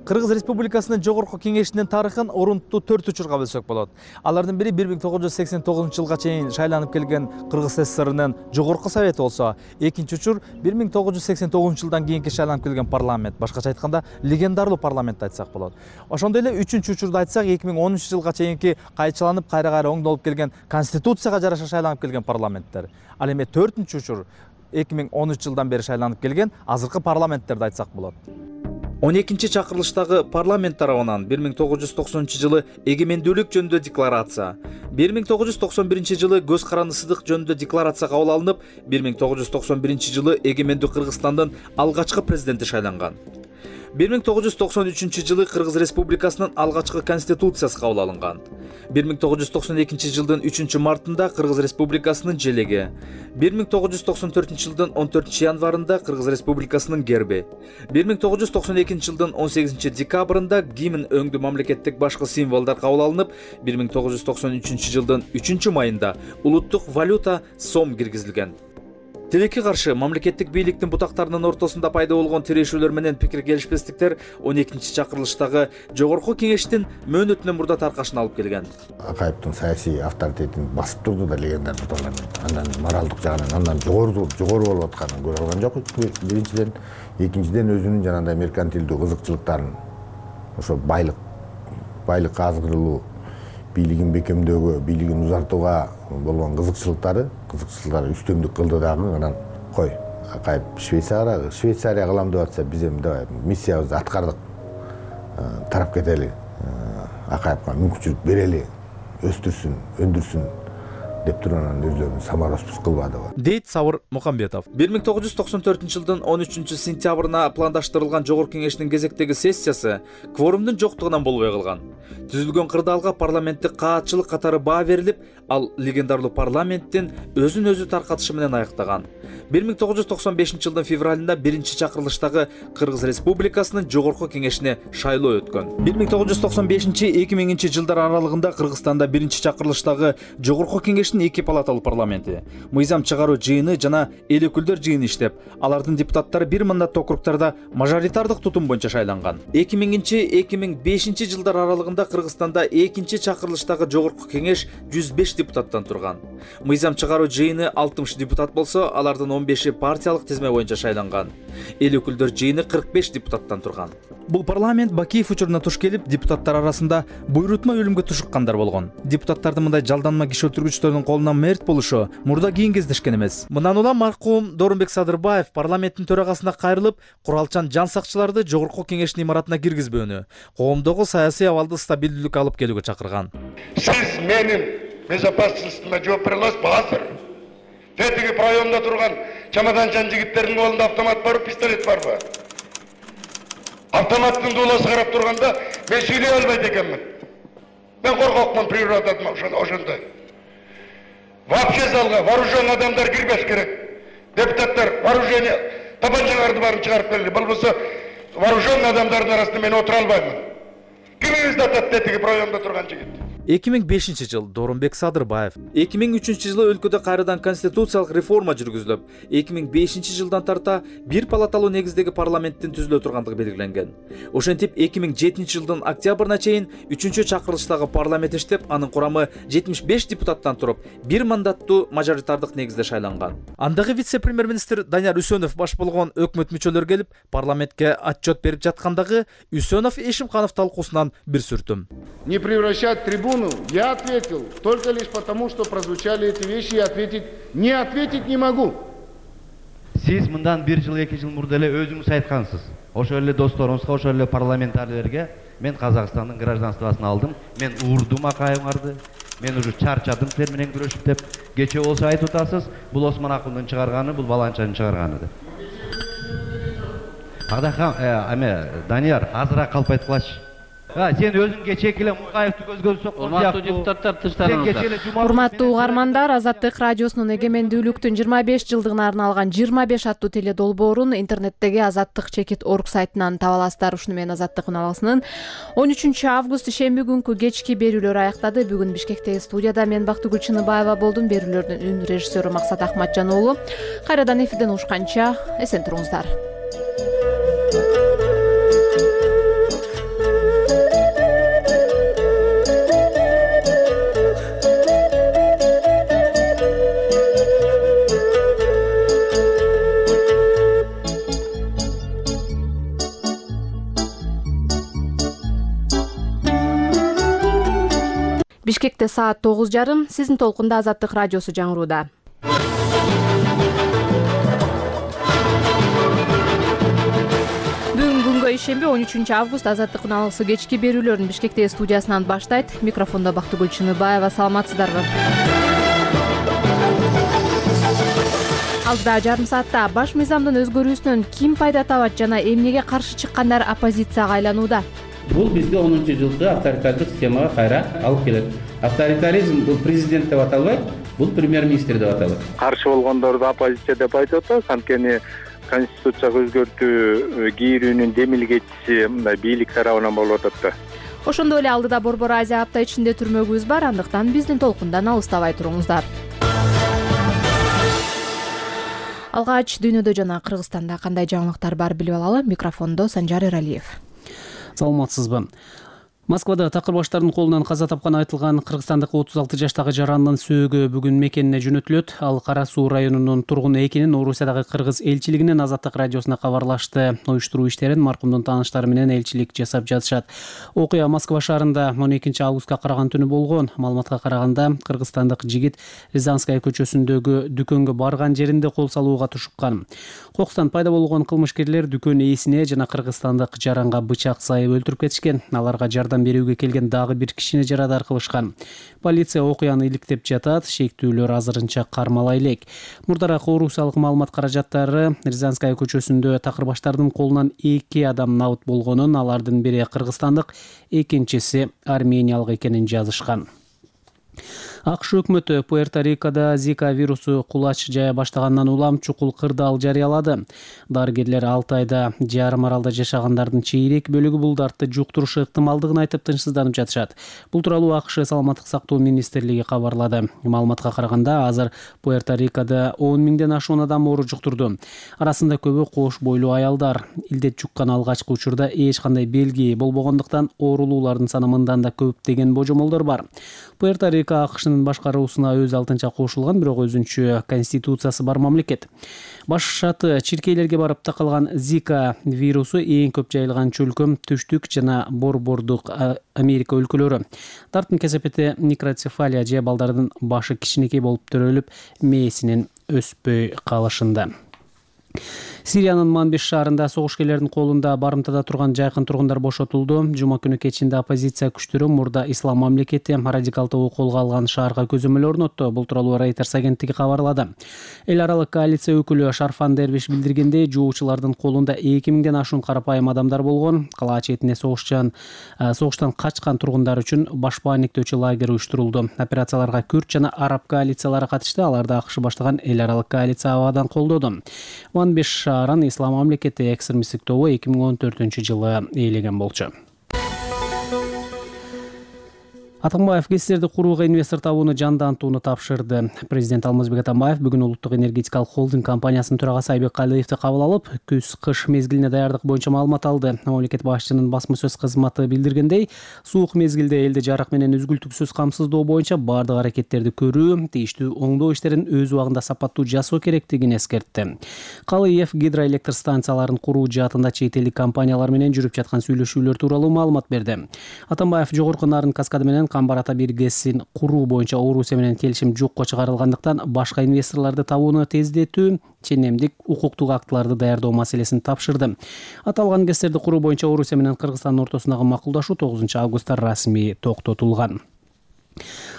Кыргыз Республикасынын Жогорку Кеңешинин тарыхын орунтуу 4 учурга бөлсөк болот. Алардын бири 1989-жылга чейин шайланып келген Кыргыз СССРнын Жогорку Совети болсо, экинчи учур 1989-жылдан кийинки шайланып келген парламент, башкача айтканда легендарлуу парламентти айтсак болот. Ошондой эле үчүнчү учурду айтсак 2010-жылга чейинки кайчыланып кайра оңдолуп келген Конституцияга жараша шайланып келген парламенттер. Ал эми 4-учур 2013-жылдан бери шайланып келген азыркы парламенттерди айтсак болот. 12-чакырылыштагы парламент тарабынан 1990-жылы эгемендүүлүк жөнүндө декларация, 1991-жылы көз карандысыздык жөнүндө декларация кабыл алынып, 1991-жылы эгемендүү Кыргызстандын алгачкы президенти шайланган. 1993-жылы Кыргыз Республикасынын алгачкы конституциясы кабыл алынган. 1992-жылдын 3-мартында Кыргыз Республикасынын желеги, 1994-жылдын 14-январында Кыргыз Республикасынын герби, 1992-жылдын 18-декабрында гимн өңдүү мамлекеттик башкы символдор кабыл алынып, 1993-жылдын 3-майында улуттук валюта сом киргизилген. Тилекке каршы мамлекеттик бийликтин бутактарынын ортосунда пайда болгон тирешүүлөр менен пикир келишпестиктер 12-чакырылыштагы Жогорку Кеңештин мөөнөтүнөн мурда таркашына алып келген. Акаевдин саясий авторитетин басып турду да легендар парламент. Андан моралдык жагынан андан жогору болуп атканын көрө алган жок. Биринчиден, экинчиден өзүнүн жанагындай меркантилдүү кызыкчылыктарын, ошо байлыкка азгырылуу, бийлигин бекемдөөгө, бийлигин узартууга болгон кызыкчылыктары үстөмдүк кылды дагы. Анан кой, Акаев Швейцария кылам деп атса, биз эми давай миссиябызды аткардык, тарап кетели, Акаевга мүмкүнчүлүк берели, өстүрсүн, өндүрсүн деп турган өздөрүнүн самароспуз кылбадыбы, дейт Сабыр Мукамбетов. 1994-жылдын 13-сентябрына пландаштырылган Жогорку Кеңештин кезектеги сессиясы кворумдун жоктугунан болбой калган. Түзүлгөн кырдаалга парламенттик каатчылык катары баа берилип, ал легендарлуу парламенттин өзүн өзү таркатышы менен аяктаган. 1995-жылдын февралында 1-чакырылыштагы Кыргыз Республикасынын Жогорку Кеңешине шайлоо өткөн. 1995-2000-жылдар аралыгында Кыргызстанда 1-чакырылыштагы Жогорку Кеңештин 2 палаталуу парламенти, мыйзам чыгаруу жыйыны жана эл өкүлдөр жыйыны иштеп, алардын депутаттары бир мандаттуу округдарда мажоритардык тутум боюнча шайланган. 2000-2005-жылдар аралыгында Кыргызстанда 2-чакырылыштагы Жогорку Кеңеш 105 депутаттан турган. Мыйзам чыгаруу жыйыны 60 депутат болсо, алардын 15 партиялык тизме боюнча шайланган. Эл өкүлдөр жыйыны 45 депутаттан турган. Бул парламент Бакиев учуруна туш келип, депутаттар арасында буйрутма өлүмгө тушуккандар болгон. Депутаттардын мындай жалданма киши өлтүргүчтөрдүн колунан мерт болушу мурда кийин кездешкен эмес. Мындан улам маркум Дорунбек Садырбаев парламенттин төрагасына кайрылып, куралчан жан сакчыларды Жогорку Кеңештин имаратына киргизбөөнү, коомдогу саясий абалды стабилдүүлүккө алып келүүгө чакырган. Сиз менин безопасностьтума жооп бере аласызбы азыр? Тетиги районда турган чамаданчан жигиттердин колунда автомат барбы, пистолет барбы? Автоматтын дууласы карап турганда мен сүйлөй албайт экенмин. Мен коркокмун природадын ошондой. Вообще залга вооруженный адамдар кирбеш керек. Депутаттар вооружение табанчаларды барын чыгарып келди. Болбосо вооруженный адамдардын арасында мен отура албаймын. Кимиңизди атат тетиги районда турган жигит? 2005-жыл Дорунбек Садырбаев. 2003-жылы өлкөдө кайрадан конституциялык реформа жүргүзүлүп, 2005-жылдан тарта бир палаталуу негиздеги парламенттин түзүлө тургандыгы белгиленген. Ошентип 2007-жылдын октябрына чейин 3-чакырылыштагы парламент иштеп, анын курамы 75 депутаттан туруп, бир мандаттуу мажоритардык негизде шайланган. Андагы вице-премьер-министр Данияр Үсөнов баш болгон өкмөт мүчөлөрү келип, парламентке отчет берип жаткандагы Үсөнов Эшимханов талкуусунан бир сүртүм. Не превращать трибуну, я ответил только лишь потому, что прозвучали эти вещи, и не ответить не могу. Сиз мындан 1 жыл 2 жыл мурда эле өзүңүз айткансыз. Ошол эле досторуңузга, ошол эле парламентарийлерге мен Казакстандын гражданствосын алдым. Мен уурдум Акаевңарды. Мен уже чарчадым силер менен күрөшүп деп. Кече болсо айтып атасыз, бул Осмон Акундун чыгарганы, бул Баланчанын чыгарганы деп. Кадахам, Данияр, азыраак калп айткылачы. Сен өзүң кечеки эле Мукаевди көзгө соккон урматтуу депутаттар, тыштарыңыздар. Урматтуу угармандар, Азаттык радиосунун эгемендүүлүктүн 25 жылдыгына арналган 25 аттуу теле долбоорун интернеттеги azattik.org сайтынан таба аласыздар. Ушуну менен Азаттык үналгысынын 13 август шемби күнкү кечки берүүлөр аяктады. Бүгүн Бишкектеги студияда мен Бактыгүл Чыныбаева болдум. Берүүлөрдүн үн режиссеру Максат Ахматжан уулу. Кайрадан эфирден угушканча эсен туруңуздар. Бишкекте саат 9:30. Сиздин толкунда Азаттык радиосу жаңырууда. Бүгүн күнгө ишемби 13 август Азаттыктын алгысы кечки берүүлөрүн Бишкектеги студиясынан баштайт. Микрофондо Бактыгүл Чыныбаева. Саламатсыздарбы? Алдыда жарым саатта баш мыйзамдын өзгөрүүсүнөн ким пайда табат жана эмнеге каршы чыккандар оппозицияга айланууда? Бул бизди 10-жылкы авторитардык системага кайра алып келет. Авторитаризм бул президент деп аталбайт, бул премьер-министр деп аталат. Каршы болгондорду оппозиция деп айтып атат, анткени конституцияга өзгөртүү кийрүүнүн демилгечиси мындай бийлик тарабынан болуп атат да. Ошондой эле алдыда Борбор Азия апта ичинде түрмөгүбүз бар, андыктан биздин толкундан алыстабай туруңуздар. Алгач дүйнөдө жана Кыргызстанда кандай жаңылыктар бар билип алалы. Микрофондо Санжар Эралиев. Саламатсызбы? Москвада такыр баштардын колунан каза тапканы айтылган кыргызстандык 36 жаштагы жарандын сөөгү бүгүн мекенине жөнөтүлөт. Ал Кара Суу районунун тургуну экенин Орусиядагы кыргыз элчилигинин Азаттык радиосуна кабарлашты. Уюштуруу иштерин маркумдун тааныштары менен элчилик жасап жатышат. Окуя Москва шаарында 12 августка караган түнү болгон. Маалыматка караганда кыргызстандык жигит Рязанская көчөсүндөгү дүкөнгө барган жеринде кол салууга тушуккан. Кокустан пайда болгон кылмышкерлер дүкөн ээсине жана кыргызстандык жаранга бычак сайып өлтүрүп кетишкен. Аларга жардам берүүгө келген дагы бир кишини жарадар кылышкан. Полиция окуяны иликтеп жатат, шектүүлөр азырынча кармала элек. Мурдараак орусиялык маалымат каражаттары Рязанская көчөсүндө такыр баштардын колунан 2 адам набыт болгонун, алардын бири кыргызстандык, экинчиси армениялык экенин жазышкан. АКШ өкмөтү Пуэрто-Рикодо Зика вирусу кулач жая баштагандан улам чукул кырдаал жарыялады. Дарыгерлер 6 айда жарым аралда жашагандардын чейрек бөлүгү бул дартты жуктурушу ыктымалдыгын айтып тынчсызданып жатышат. Бул тууралуу АКШ саламаттык сактоо министрлиги кабарлады. Маалыматка караганда азыр Пуэрто-Рикодо 10 миңден ашуун адам оору жуктурду. Арасында көбү кош бойлуу аялдар. Илдет жуккан алгачкы учурда эч кандай белги болбогондуктан оорулуулардын саны мындан да көп деген божомолдор бар. Пуэрто-Рико АКШнын башкаруусуна өз алтынча кошулган, бирок өзүнчө конституциясы бар мамлекет. Баш шаты чиркейлерге барып такалган Зика вирусу эң көп жайылган чөлкөм түштүк жана борбордук Америка өлкөлөрү. Дарттын кесепети микроцефалия же балдардын башы кичинекей болуп төрөлүп, мээсинин өспөй калышында. Сириянын Манбиш шаарында согушкерлердин колунда барымтада турган жайкын тургундар бошотулду. Жума күнү кечинде оппозиция күчтөрү мурда ислам мамлекети радикалдуу колго алган шаарга көзөмөл орнотту. Бул тууралуу Reuters агенттиги кабарлады. Эл аралык коалиция өкүлү Шарфан Дервиш билдиргендей, жоочулардын колунда 2000ден ашуун карапайым адамдар болгон. Кала четине согуштан качкан тургундар үчүн баш бааниктөөчү лагерь уюштурулду. Операцияларга Күрд жана араб коалициялары катышты. Аларды АКШ баштаган эл аралык коалиция абадан колдоду. Манбиш шаарын ислам мамлекети экстремисттик тобу 2014-жылы ээлеген болчу. Атамбаев ГЭСтерди курууга инвестор табууну жандантууну тапшырды. Президент Алмазбек Атамбаев бүгүн Улуттук энергетикалык холдинг компаниясынын төрагасы Айбек Калыевди кабыл алып, күз-кыш мезгилине даярдык боюнча маалымат алды. Мамлекет башчынын басма сөз кызматы билдиргендей, суук мезгилде элди жарык менен үзгүлтүксүз камсыздоо боюнча бардык аракеттерди көрүү, тийиштүү оңдоо иштерин өз убагында сапаттуу жасоо керектигин эскертти. Калыев гидроэлектр станцияларын куруу жаатында чет элдик компаниялар менен жүрүп жаткан сүйлөшүүлөр тууралуу маалымат берди. Атамбаев жогорку нарын каскады менен Камбар-Ата 1 ГЭСин куруу боюнча Орусия менен келишим жокко чыгарылгандыктан башка инвесторлорду табууну тездетүү, ченемдик укуктук актыларды даярдоо маселесин тапшырды. Аталган ГЭСтерди куруу боюнча Орусия менен Кыргызстандын ортосундагы макулдашуу 9 августта расмий токтотулган.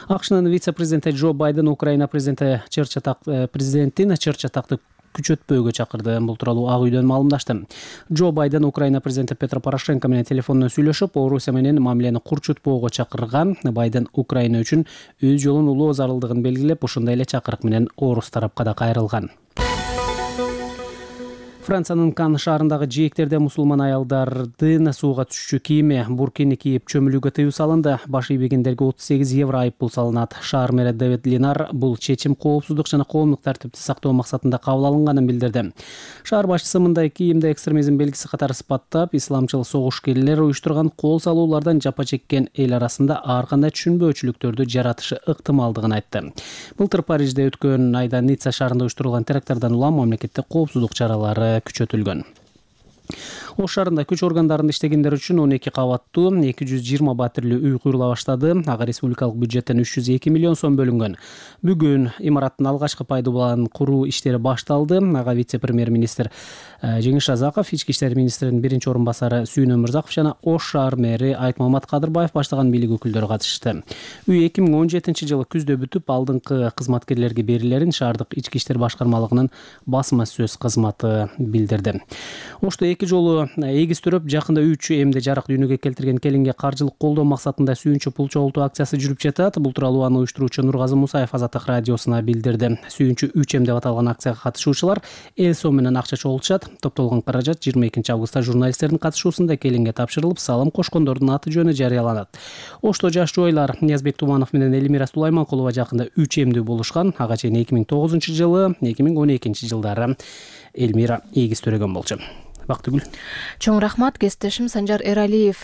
АКШнын вице-президенти Джо Байден Украина президентин чыр-чатакты күчөтпөөгө чакырды. Бул тууралуу Ак үйдөн маалымдашты. Джо Байден Украина президенти Петро Порошенко менен телефондон сүйлөшүп, Орусия менен мамилени курчутпоого чакырган. Байден Украина үчүн өз жолун улоо зарылдыгын белгилеп, ушундай эле чакырык менен орус тарапка да кайрылган. Франциянын Кан шаарындагы жээктерде мусулман аялдардын сууга түшчү кийими буркини кийип чөмүлүүгө тыюу салынды. Баш ийбегендерге 38 евро айыппул салынат. Шаар мэри Давид Линар бул чечим коопсуздук жана коомдук тартипти сактоо максатында кабыл алынганын билдирди. Шаар башчысы мындай кийимди экстремизм белгиси катары сыпаттап, исламчыл согушкерлер уюштурган кол салуулардан жапа чеккен эл арасында ар кандай түшүнбөөчүлүктөрдү жаратышы ыктымалдыгын айтты. Былтыр Парижде өткөн айда Ницца шаарында уюштурулган теракттардан улам мамлекетте коопсуздук чаралары күчөтүлгөн. Ош шаарында күч органдарында иштегендер үчүн 12 кабаттуу 220 батирлүү үй курула баштады. Ага республикалык бюджеттен 302 миллион сом бөлүнгөн. Бүгүн имараттын алгачкы пайдаланууну куруу иштери башталды. Ага вице-премьер-министр Жеңиш Жазаков, ички иштер министринин биринчи орун басары Сүйүн Өмүрзаков жана Ош шаар мэри Айтмамат Кадырбаев баштаган бийлик өкүлдөрү катышты. Үй 2017 жылы күздө бүтүп, алдыңкы кызматкерлерге берилерин шаардык ички иштер башкармалыгынын басма сөз кызматы билдирди. Ошто 2 жолу эгиздирип, жакында 3 эмде жарык дүйнөгө келтирген келинге каржылык колдоо максатында сүйүнчү пул чогултуу акциясы жүрүп жатат. Бул тууралуу аны уюштуруучу Нургазы Мусаев Азаттык радиосуна билдирди. Сүйүнчү 3 м деп аталган акцияга катышуучулар эл сом менен акча чогултушат. Топтолгон каражат 22 августта журналисттердин катышуусунда келинге тапшырылып, салым кошкондордун аты жөнү жарыяланат. Ошто жаш жубайлар Ниязбек Туманов менен Элмира Сулайманкулова жакында 3 эмдүү болушкан. Ага чейин 2009 жылы, 2012 жылдары Элмира эгиз төрөгөн болчу. Бактыгүл. Чоң рахмат. Кесиптешим Санжар Эралиев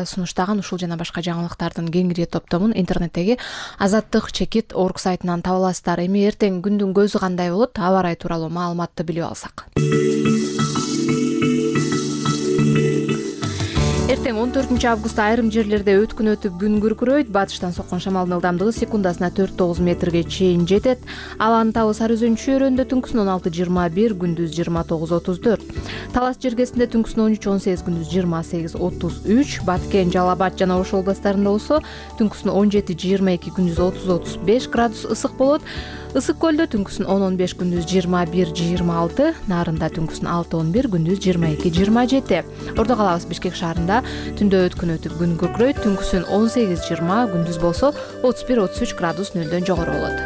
сунуштаган ушул жана башка жаңылыктардын кеңири топтомун интернеттеги azattik.org сайтынан таба аласыздар. Эми эртең күндүн көзү кандай болот? Аба ырайы тууралуу маалыматты билип алсак. Эртең 14 августта айрым жерлерде өткүн өтүп күн күркүрөйт. Батыштан соккон шамалдын ылдамдыгы секундасына 4-9 метрге чейин жетет. Аланын табы Сары Өзөн чөйрөндө түнкүсүн 16-21, күндүз 29-34. Талас жергесинде түнкүсүн 13-18, күндүз 28-33. Баткен, Жалал Абад жана Ош областарында болсо түнкүсүн 17-22, күндүз 30-35 градус ысык болот. Ысык көлдө түнкүсүн 10-15, күндүз 21-26, Нарында түнкүсүн 6-11, күндүз 22-27. Ордо калабыз Бишкек шаарында түндө өткүн өтүп күн күркүрөйт, түнкүсүн 18-20, күндүз болсо 31-33 градус нөлдөн жогору болот.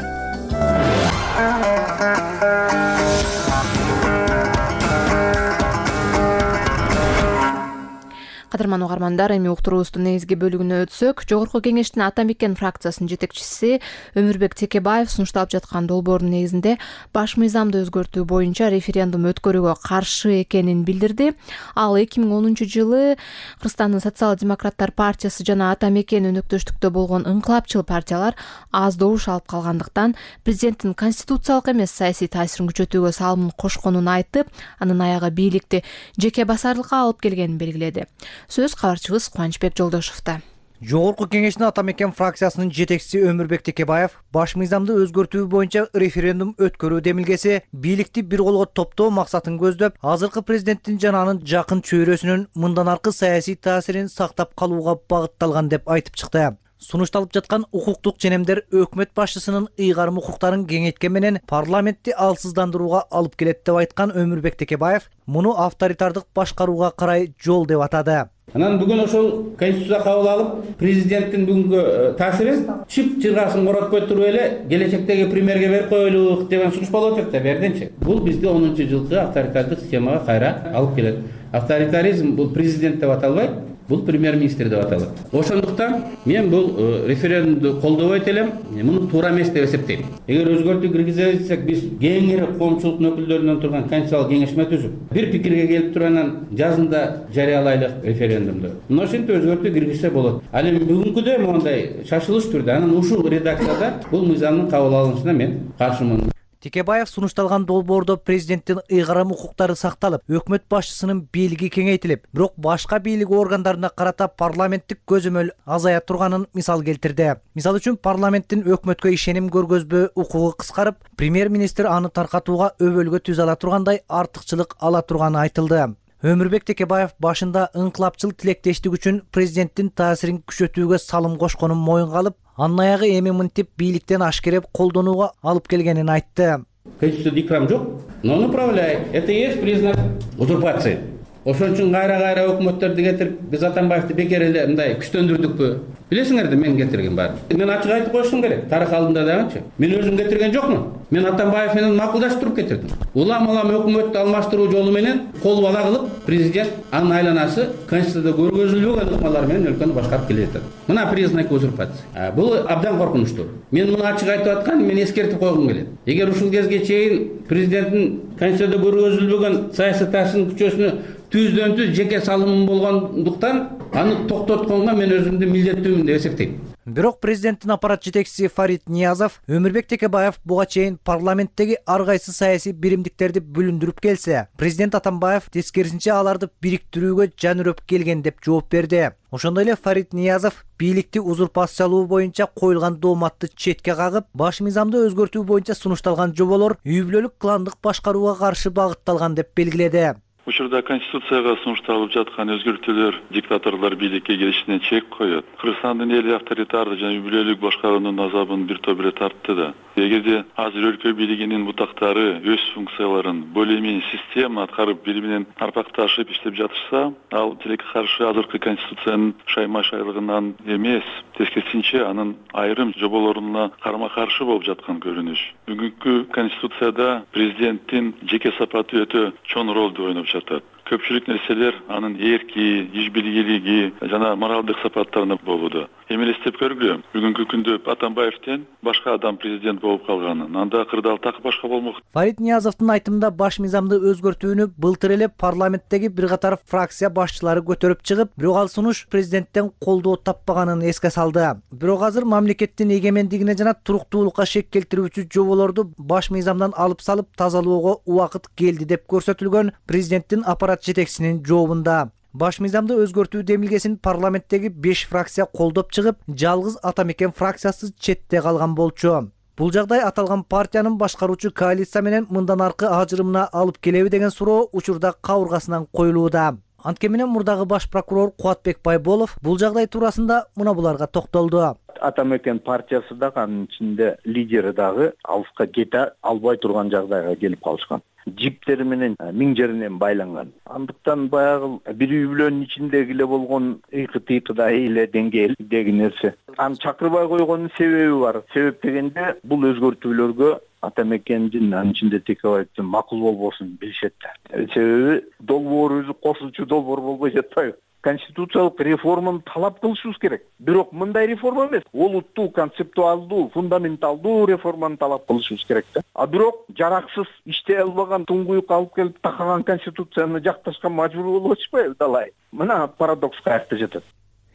Кадырман угармандар, эми уктуруубуздун негизги бөлүгүнө өтсөк, Жогорку Кеңештин Ата Мекен фракциясынын жетекчиси Өмүрбек Текебаев сунушталып жаткан долбоордун негизинде баш мыйзамды өзгөртүү боюнча референдум өткөрүүгө каршы экенин билдирди. Ал 2010 жылы Кыргызстандын Социал-демократтар партиясы жана Ата Мекен өнөктөштүктө болгон ыңкылапчыл партиялар аз добуш алып калгандыктан президенттин конституциялык эмес саясий таасирин күчөтүүгө салымын кошконун айтып, анын аягы бийликти жеке басарлыкка алып келгенин белгиледи. Сөз кабарчыбыз Кубанычбек Жолдошовдо. Жогорку Кеңештин Ата Мекен фракциясынын жетекчиси Өмүрбек Текебаев баш мыйзамды өзгөртүү боюнча референдум өткөрүү демилгеси бийликти бир колго топтоо максатын көздөп, азыркы президенттин жана анын жакын чөйрөсүнүн мындан аркы саясий таасирин сактап калууга багытталган деп айтып чыкты. Сунушталып жаткан укуктук ченемдер өкмөт башчысынын ыйгарым укуктарын кеңейткени менен парламентти алсыздандырууга алып келет деп айткан Өмүрбек Текебаев муну авторитардык башкарууга карай жол деп атады. Анан бүгүн ошол конституция кабыл алып, президенттин бүгүнкү таасирин чып чыргасын коротпой туруп эле келечектеги премьерге берип коелук деген сунуш болуп атат да берденчи. Бул бизди 10 жылкы авторитардык системага кайра алып келет. Авторитаризм бул президент деп аталбайт, бул премьер-министр деп аталат. Ошондуктан мен бул референдумду колдобойт элем, муну туура эмес деп эсептейм. Эгер өзгөртүү киргизсек, биз кеңири коомчулуктун өкүлдөрүнөн турган конституциялык кеңешме түзүп, бир пикирге келип туруп анан жазында жарыялайлык референдумду. Мына ошентип өзгөртүү киргизсе болот. Ал эми бүгүнкүдөй моундай шашылыш түрдө анан ушул редакцияда бул мыйзамдын кабыл алынышына мен каршымын. Текебаев сунушталган долбоордо президенттин ыйгарым укуктары сакталып, өкмөт башчысынын бийлиги кеңейтилип, бирок башка бийлик органдарына карата парламенттик көзөмөл азая турганын мисал келтирди. Мисалы үчүн парламенттин өкмөткө ишеним көргөзбөө укугу кыскарып, премьер-министр аны таркатууга өбөлгө түзө ала тургандай артыкчылык ала турганы айтылды. Өмүрбек Текебаев башында ыңкылапчыл тилектештик үчүн президенттин таасирин күчөтүүгө салым кошконун моюнга алып, анын аягы эми мынтип бийликтен ашкереп колдонууга алып келгенин айтты. Конституцияда икрам жок, но он управляет. Это и есть признак узурпации. Ошон үчүн кайра өкмөттөрдү кетирип, биз Атамбаевди бекер эле мындай күчтөндүрдүкпү? Билесиңерди мен кетирген баары. Мен ачык айтып коюшум керек. Тарых алдында дагычы. Мен өзүм кетирген жокмун. Мен Атамбаев менен макулдашып туруп кетирдим. Улам өкмөттү алмаштыруу жолу менен кол бала кылып, президент анын айланасы конституцияда көргөзүлбөгөн ыкмалар менен өлкөнү башкарып келе жатат. Мына признак узурпации. Бул абдан коркунучтуу. Мен муну ачык айтып аткан, мен эскертип койгум келет. Эгер ушул кезге чейин президенттин конституцияда көргөзүлбөгөн саясий таасирин күчөсүнө түздөн түз жеке салымы болгондуктан аны токтотконго мен өзүмдү милдеттүүмүн деп эсептейм. Бирок президенттин аппарат жетекчиси Фарид Ниязов Өмүрбек Текебаев буга чейин парламенттеги ар кайсы саясий биримдиктерди бүлүндүрүп келсе, президент Атамбаев тескерисинче аларды бириктирүүгө жан үрөп келген деп жооп берди. Ошондой эле Фарид Ниязов бийликти узурпациялоо боюнча коюлган дооматты четке кагып, баш мыйзамды өзгөртүү боюнча сунушталган жоболор үй бүлөлүк кландык башкарууга каршы багытталган деп белгиледи. Учурда Конституцияга сунушталып жаткан өзгөртүүлөр диктаторлор бийликке келишине чек коет. Кыргызстандын эли авторитардык жана үй бүлөлүк башкаруунун азабын бир топ эле тартты да. Эгерде азыр өлкө бийлигинин бутактары өз функцияларын более менее система аткарып бири менен арпакташып иштеп жатышса, ал тилекке каршы азыркы Конституциянын шайма-шайлыгынан эмес, тескерисинче анын айрым жоболоруна карама-каршы болуп жаткан көрүнүш. Бүгүнкү Конституцияда президенттин жеке сапаты өтө чоң ролду ойноп жатат. Көпчүлүк нерселер анын эрки, иш билгилиги жана моралдык сапаттарына болууда. Эми элестеп көргүлө, бүгүнкү күндө Атамбаевден башка адам президент болуп калганын, анда кырдаал так башка болмок. Фарид Ниязовдун айтымында баш мыйзамды өзгөртүүнү былтыр эле парламенттеги бир катар фракция башчылары көтөрүп чыгып, бирок ал сунуш президенттен колдоо таппаганын эске салды. Бирок азыр мамлекеттин эгемендигине жана туруктуулукка шек келтирүүчү жоболорду баш мыйзамдан алып салып тазалоого убакыт келди деп көрсөтүлгөн президенттин аппарат жетекчисинин жообунда. Баш мыйзамды өзгөртүү демилгесин парламенттеги 5 фракция колдоп чыгып, жалгыз Атамекен фракциясы четте калган болчу. Бул жагдай аталган партиянын башкаруучу коалиция менен мындан аркы ажырымына алып келеби деген суроо учурда кабыргасынан коюлууда. Анткени менен мурдагы баш прокурор Кубатбек Байболов бул жагдай туурасында мына буларга токтолду. Атамекен партиясы дагы анын ичинде лидери дагы алыска кете албай турган жагдайга келип калышкан. Жиптери менен миң жеринен байланган. Андыктан баягы бир үй бүлөнүн ичиндеги эле болгон ыйкы-тыйкыдай эле деңгээлдеги нерсе. Аны чакырбай койгонун себеби бар. Себеп дегенде бул өзгөртүүлөргө Атамекендин анын ичинде Текебаевдин макул болбосун билишет. Себеби долбоор өзү кошулчу долбоор болбой жатпайбы? Конституциялык реформаны талап кылышыбыз керек. Бирок мындай реформа эмес, олуттуу, концептуалдуу, фундаменталдуу реформаны талап кылышыбыз керек да. А бирок жараксыз, иштей албаган, туңгуюк алып келип такаган конституцияны жакташка мажбур болуп атышпайбы далай? Мына парадокс каякта жатат.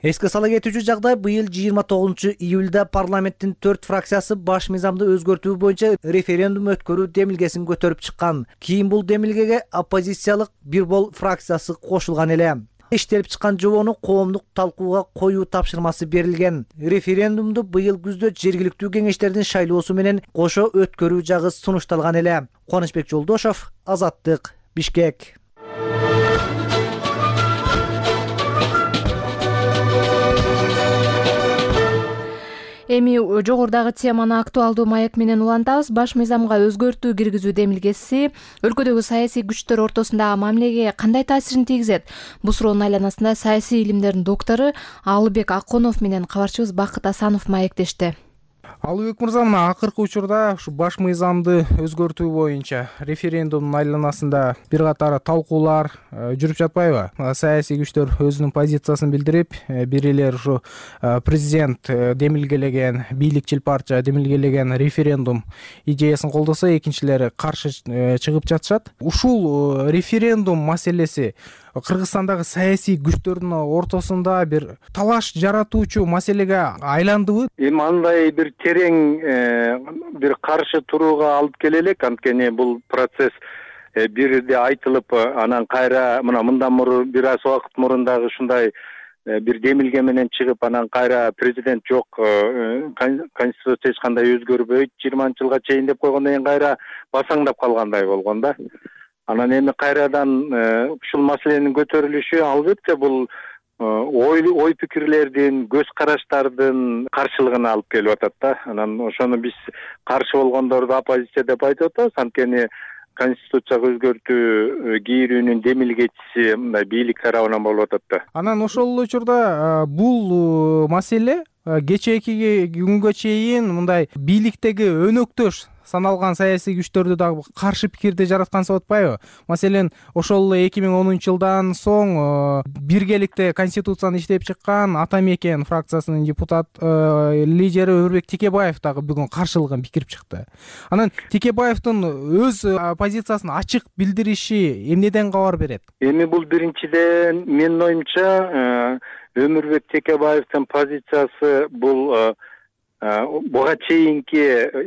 Эске сала кетүүчү жагдай быйыл 29-июлда парламенттин 4 фракциясы баш мыйзамды өзгөртүү боюнча референдум өткөрүү демилгесин көтөрүп чыккан. Кийин бул демилгеге оппозициялык бир бол фракциясы кошулган эле. Иштелип чыккан жобону коомдук талкууга коюу тапшырмасы берилген. Референдумду быйыл күздө жергиликтүү кеңештердин шайлоосу менен кошо өткөрүү жагы сунушталган эле. Кубанычбек Жолдошов, Азаттык, Бишкек. Эми жогорудагы теманы актуалдуу маек менен улантабыз. Баш мыйзамга өзгөртүү киргизүү демилгеси өлкөдөгү саясий күчтөр ортосундагы мамилеге кандай таасирин тийгизет? Бул суроонун айланасында саясий илимдердин доктору Алыбек Аконов менен кабарчыбыз Бакыт Асанов маектешти. Алыбек мырза, мына акыркы учурда ушу баш мыйзамды өзгөртүү боюнча референдумдун айланасында бир катар талкуулар жүрүп жатпайбы? Саясий күчтөр өзүнүн позициясын билдирип, бирилер ушу президент демилгелеген, бийликчил партия демилгелеген референдум идеясын колдосо, экинчилери каршы чыгып жатышат. Ушул референдум маселеси Кыргызстандагы саясий күчтөрдүн ортосунда бир талаш жаратуучу маселеге айландыбы? Эми андай бир терең бир каршы турууга алып келе элек, анткени бул процесс бирде айтылып, анан кайра мындан мурун бир аз убакыт мурун дагы ушундай бир демилге менен чыгып, анан кайра президент жок, конституция эч кандай өзгөрбөйт 20-жылга чейин деп койгондон кийин кайра басаңдап калгандай болгон да. Анан эми кайрадан ушул маселенин көтөрүлүшү албетте бул ой пикирлердин, көз караштардын каршылыгына алып келип атат да. Анан ошону биз каршы болгондорду оппозиция деп айтып атабыз. Анткени конституцияга өзгөртүү кирүүнүн демилгечиси мындай бийлик тарабынан болуп атат да. Анан ошол эле учурда бул маселе кечээки күнгө чейин мындай бийликтеги өнөктөш саналган саясий күчтөрдү дагы каршы пикирди жараткан болуп атпайбы? Маселен, ошол 2010-жылдан соң биргеликте конституцияны иштеп чыккан Атамекен фракциясынын депутат лидери Өмүрбек Текебаев дагы бүгүн каршылыгын билдирип чыкты. Анан Текебаевдин өз позициясын ачык билдириши эмнеден кабар берет? Эми бул биринчиден менин оюмча Өмүрбек Текебаевдин позициясы бул буга чейинки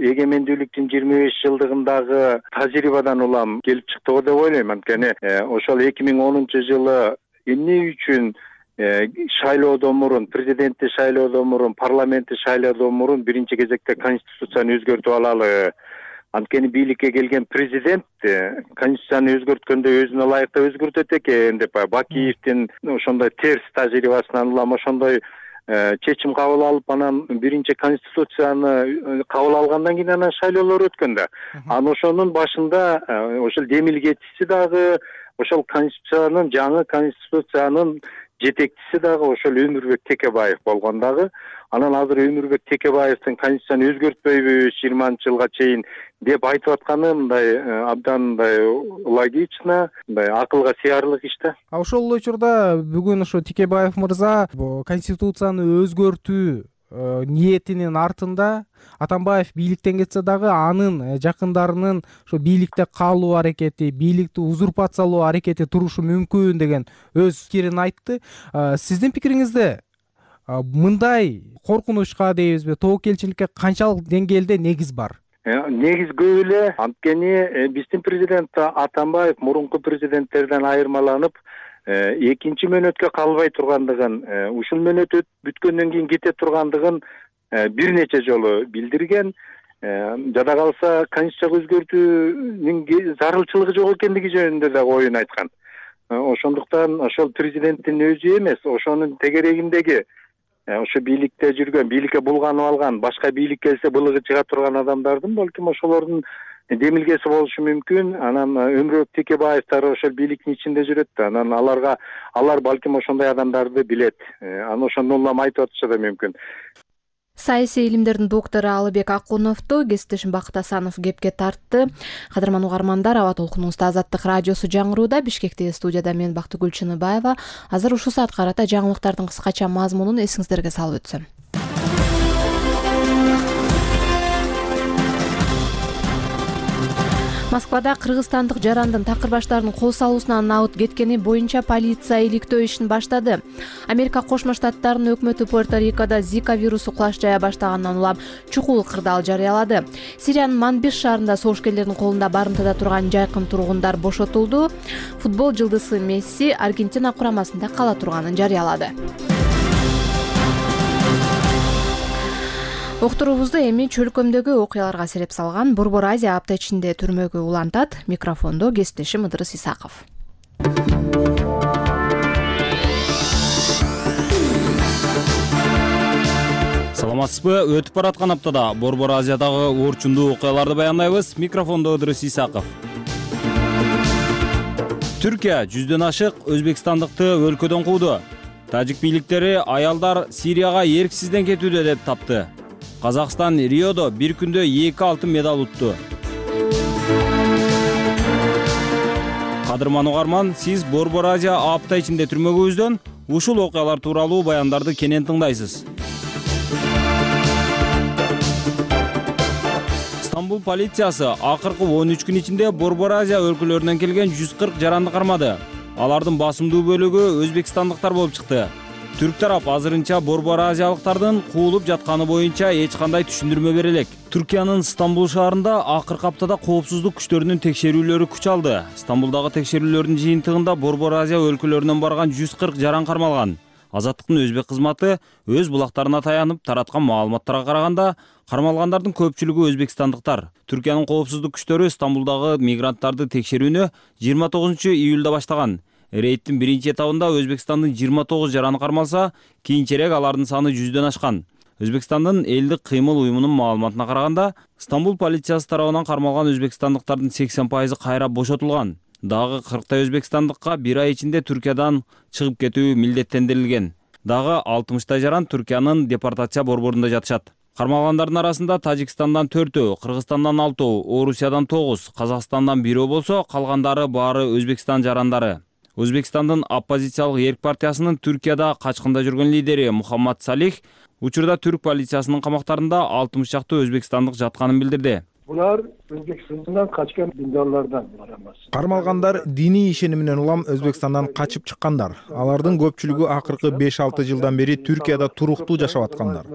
эгемендүүлүктүн 25 жылдыгындагы тажрыйбадан улам келип чыкты го деп ойлойм. Анткени ошол 2010 жылы эмне үчүн шайлоодон мурун, президентти шайлоодон мурун, парламентти шайлоодон мурун биринчи кезекте конституцияны өзгөртүп алалы. Анткени бийликке келген президент конституцияны өзгөрткөндө өзүнө ылайыктуу өзгөртөт экен деп Бакиевдин ошондой терс тажрыйбасынан улам ошондой чечим кабыл алып, анан биринчи конституцияны кабыл алгандан кийин анан шайлоолор өткөн да. Анан ошонун башында ошол демилгечиси дагы, ошол конституциянын, жаңы конституциянын жетекчиси дагы ошол Өмүрбек Текебаев болгон дагы. Анан азыр Өмүрбек Текебаевдин конституцияны өзгөртпөйбүз 20-жылга чейин деп айтып атканы мындай абдан мындай логично, мындай акылга сыярлык иш да. Ошол эле учурда бүгүн ошо Текебаев мырза конституцияны өзгөртүү ниетинин артында Атамбаев бийликтен кетсе дагы анын жакындарынын ошо бийликте калуу аракети, бийликти узурпациялоо аракети турушу мүмкүн деген өз пикирин айтты. Сиздин пикириңизде мындай коркунучка дейбизби, тобокелчиликке канчалык деңгээлде негиз бар? Негиз көп эле. Анткени биздин президент Атамбаев мурунку президенттерден айырмаланып, экинчи мөөнөткө калбай тургандыгын, ушул мөөнөт бүткөндөн кийин кете тургандыгын бир нече жолу билдирген. Жада калса конституцияга өзгөртүүнүн зарылчылыгы жок экендиги жөнүндө да оюн айткан. Ошондуктан ошол президенттин өзү эмес, ошонун тегерегиндеги ошо бийликте жүргөн, бийликке булганып алган, башка бийлик келсе былыгы чыга турган адамдардын балким ошолордун демилгеси болушу мүмкүн. Анан Өмүрбек Текебаевдер ошол бийликтин ичинде жүрөт да. Анан алар балким ошондой адамдарды билет. Анан ошондон улам айтып атышы да мүмкүн. Саясий илимдердин доктору Алыбек Акуновду кесиптешим Бакыт Асанов кепке тартты. Кадырман угармандар, аба толкунубузда Азаттык радиосу жаңырууда. Бишкектеги студияда мен Бактыгүл Чыныбаева. Азыр ушул саатка карата жаңылыктардын кыскача мазмунун эсиңиздерге салып өтсөм. Москвада кыргызстандык жарандын такыр баштарынын кол салуусунан набыт кеткени боюнча полиция иликтөө ишин баштады. Америка Кошмо Штаттарынын өкмөтү Пуэрто-Рикодо Зика вирусу кулаш жая баштагандан улам чукул кырдаал жарыялады. Сириянын Манбиш шаарында согушкерлердин колунда барымтада турган жайкын тургундар бошотулду. Футбол жылдызы Месси Аргентина курамасында кала турганын жарыялады. Уктуруубузду эми чөлкөмдөгү окуяларга сереп салган Борбор Азия апта ичинде түрмөгө улантат. Микрофондо кесиптешим Ыдырыс Исаков. Саламатсызбы? Өтүп бараткан аптада Борбор Азиядагы орчундуу окуяларды баяндайбыз. Микрофондо Ыдырыс Исаков. Түркия 100дөн ашык өзбекстандыкты өлкөдөн кууду. Тажик бийликтери аялдар Сирияга эрксизден кетүүдө деп тапты. Казакстан Риодо бир күндө 2 алтын медаль утту. Кадырман угарман, сиз Борбор Азия апта ичинде түрмөгүбүздөн ушул окуялар тууралуу баяндарды кенен тыңдайсыз. Стамбул полициясы акыркы 13 күн ичинде Борбор Азия өлкөлөрүнөн келген 140 жаранды кармады. Алардын басымдуу бөлүгү өзбекстандыктар болуп чыкты. Түрк тарап азырынча Борбор Азиялыктардын куулуп жатканы боюнча эч кандай түшүндүрмө бере элек. Түркиянын Стамбул шаарында акыркы аптада коопсуздук күчтөрүнүн текшерүүлөрү күч алды. Стамбулдагы текшерүүлөрдүн жыйынтыгында Борбор Азия өлкөлөрүнөн барган 140 жаран кармалган. Азаттыктын өзбек кызматы өз булактарына таянып тараткан маалыматтарга караганда, кармалгандардын көпчүлүгү өзбекстандыктар. Түркиянын коопсуздук күчтөрү Стамбулдагы мигранттарды текшерүүнү 29 июлда баштаган. Рейдтин биринчи этабында Өзбекстандын 29 жараны кармалса, кийинчерээк алардын саны 100дөн ашкан. Өзбекстандын элдик кыймыл уюмунун маалыматына караганда, Стамбул полициясы тарабынан кармалган өзбекстандыктардын 80% кайра бошотулган. Дагы 40 өзбекстандыкка бир ай ичинде Түркиядан чыгып кетүү милдеттендирилген. Дагы 60 жаран Түркиянын депортация борборунда жатышат. Кармалгандардын арасында Тажикстандан 4, Кыргызстандан 6, Орусиядан 9, Казакстандан 1 болсо, калгандары баары Өзбекстан жарандары. Өзбекстандын оппозициялык Эрк партиясынын Түркияда качкында жүргөн лидери Мухаммад Салих учурда түрк полициясынын камактарында 60 чакты өзбекстандык жатканын билдирди. Булар Өзбекстандан качкан диндарлардан булар эмес. Кармалгандар диний ишениминен улам Өзбекстандан качып чыккандар. Алардын көпчүлүгү акыркы 5-6 жылдан бери Түркияда туруктуу жашап аткандар.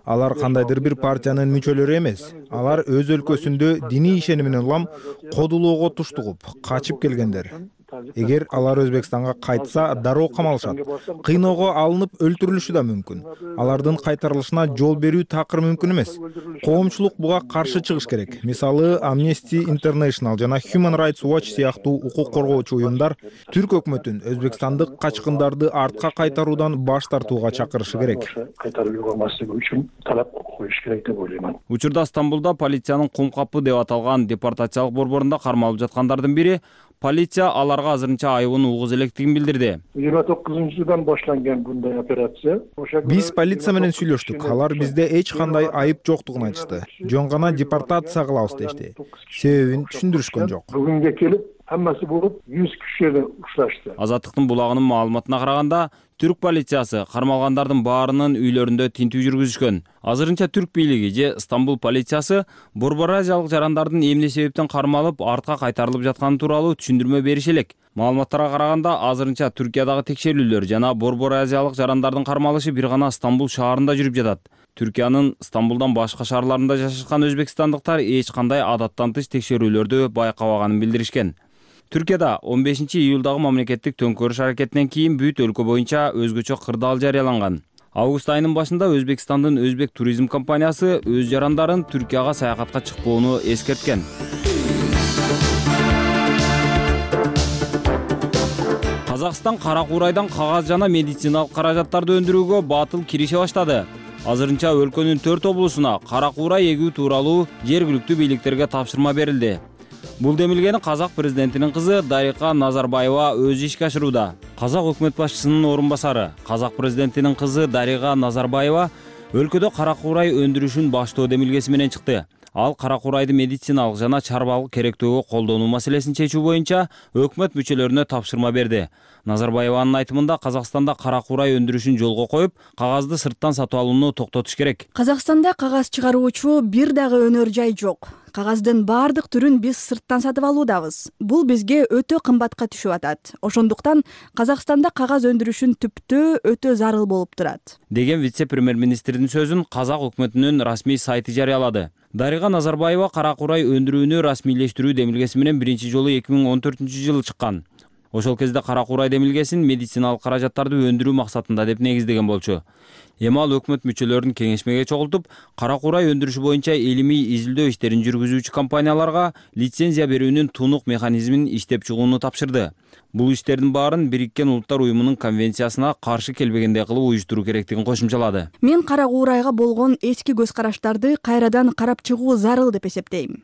Алар кандайдыр бир партиянын мүчөлөрү эмес. Алар өз өлкөсүндө диний ишениминен улам кодулоого туштугуп, качып келгендер. Эгер алар Өзбекстанга кайтса, дароо камалышат. Кыйноого алынып өлтүрүлүшү да мүмкүн. Алардын кайтарылышына жол берүү такыр мүмкүн эмес. Коомчулук буга каршы чыгыш керек. Мисалы, Amnesty International жана Human Rights Watch сыяктуу укук коргоочу уюмдар түрк өкмөтүн өзбекстандык качкындарды артка кайтаруудан баш тартууга чакырышы керек. Кайтарып юбамаслыгы үчүн талап коюш керек деп ойлоймун. Учурда Стамбулда полициянын кум капы деп аталган депортациялык борборунда кармалып жаткандардын бири полиция аларга азырынча айыбын угуз электигин билдирди. 29-жылдан башланган bunday операция. Биз полиция менен сүйлөштүк. Алар бизде эч кандай айып жоктугун айтышты. Жөн гана депортация кылабыз дешти. Себебин түшүндүрүшкөн жок. Бүгүнгө келип хаммасы болуп 100 кишиге укташты. Азаттыктын булагынын маалыматына караганда, түрк полициясы кармалгандардын баарынын үйлөрүндө тинтүү жүргүзүшкөн. Азырынча түрк бийлиги же Стамбул полициясы борбор азиялык жарандардын эмне себептен кармалып, артка кайтарылып жатканы тууралуу түшүндүрмө бериши элек. Маалыматтарга караганда, азырынча Түркиядагы текшерүүлөр жана борбор азиялык жарандардын кармалышы бир гана Стамбул шаарында жүрүп жатат. Түркиянын Стамбулдан башка шаарларында жашашкан өзбекстандыктар эч кандай адаттан тыш текшерүүлөрдү байкабаганын билдиришкен. Түркияда 15-июлдагы мамлекеттик төңкөрүш аракетинен кийин бүт өлкө боюнча өзгөчө кырдаал жарыяланган. Август айынын башында Өзбекстандын Өзбек туризм компаниясы өз жарандарын Түркияга саякатка чыкпоону эскерткен. Казакстан кара куурайдан кагаз жана медициналык каражаттарды өндүрүүгө батыл кирише баштады. Азырынча өлкөнүн 4 облусуна кара куурай эгүү тууралуу жергиликтүү бийликтерге тапшырма берилди. Бул демилгени казак президентинин кызы Дарига Назарбаева өз ишке ашырууда. Казак өкмөт башчысынын орун басары, казак президентинин кызы Дарига Назарбаева өлкөдө кара куурай өндүрүшүн баштоо демилгеси менен чыкты. Ал кара куурайды медициналык жана чарбалык керектөөгө колдонуу маселесин чечүү боюнча өкмөт мүчөлөрүнө тапшырма берди. Назарбаеванын айтымында Казакстанда кара куурай өндүрүшүн жолго коюп, кагазды сырттан сатып алууну токтотуш керек. Казакстанда кагаз чыгаруучу бир дагы өнөр жай жок. Кагаздын баардык түрүн биз сырттан сатып алуудабыз. Бул бизге өтө кымбатка түшүп атат. Ошондуктан Казакстанда кагаз өндүрүшүн түптөө өтө зарыл болуп турат, деген вице-премьер-министрдин сөзүн казак өкмөтүнүн расмий сайты жарыялады. Дарига Назарбаева кара куурай өндүрүүнү расмийлештирүү демилгеси менен биринчи жолу 2014-жылы чыккан. Ошол кезде кара куурай демилгесин медициналык каражаттарды өндүрүү максатында деп негиздеген болчу. Эми ал өкмөт мүчөлөрүн кеңешмеге чогултуп, кара куурай өндүрүшү боюнча илимий изилдөө иштерин жүргүзүүчү компанияларга лицензия берүүнүн тунук механизмин иштеп чыгууну тапшырды. Бул иштердин баарын Бириккен Улуттар уюмунун конвенциясына каршы келбегендей кылып уюштуруу керектигин кошумчалады. Мен кара куурайга болгон эски көз караштарды кайрадан карап чыгуу зарыл деп эсептейм.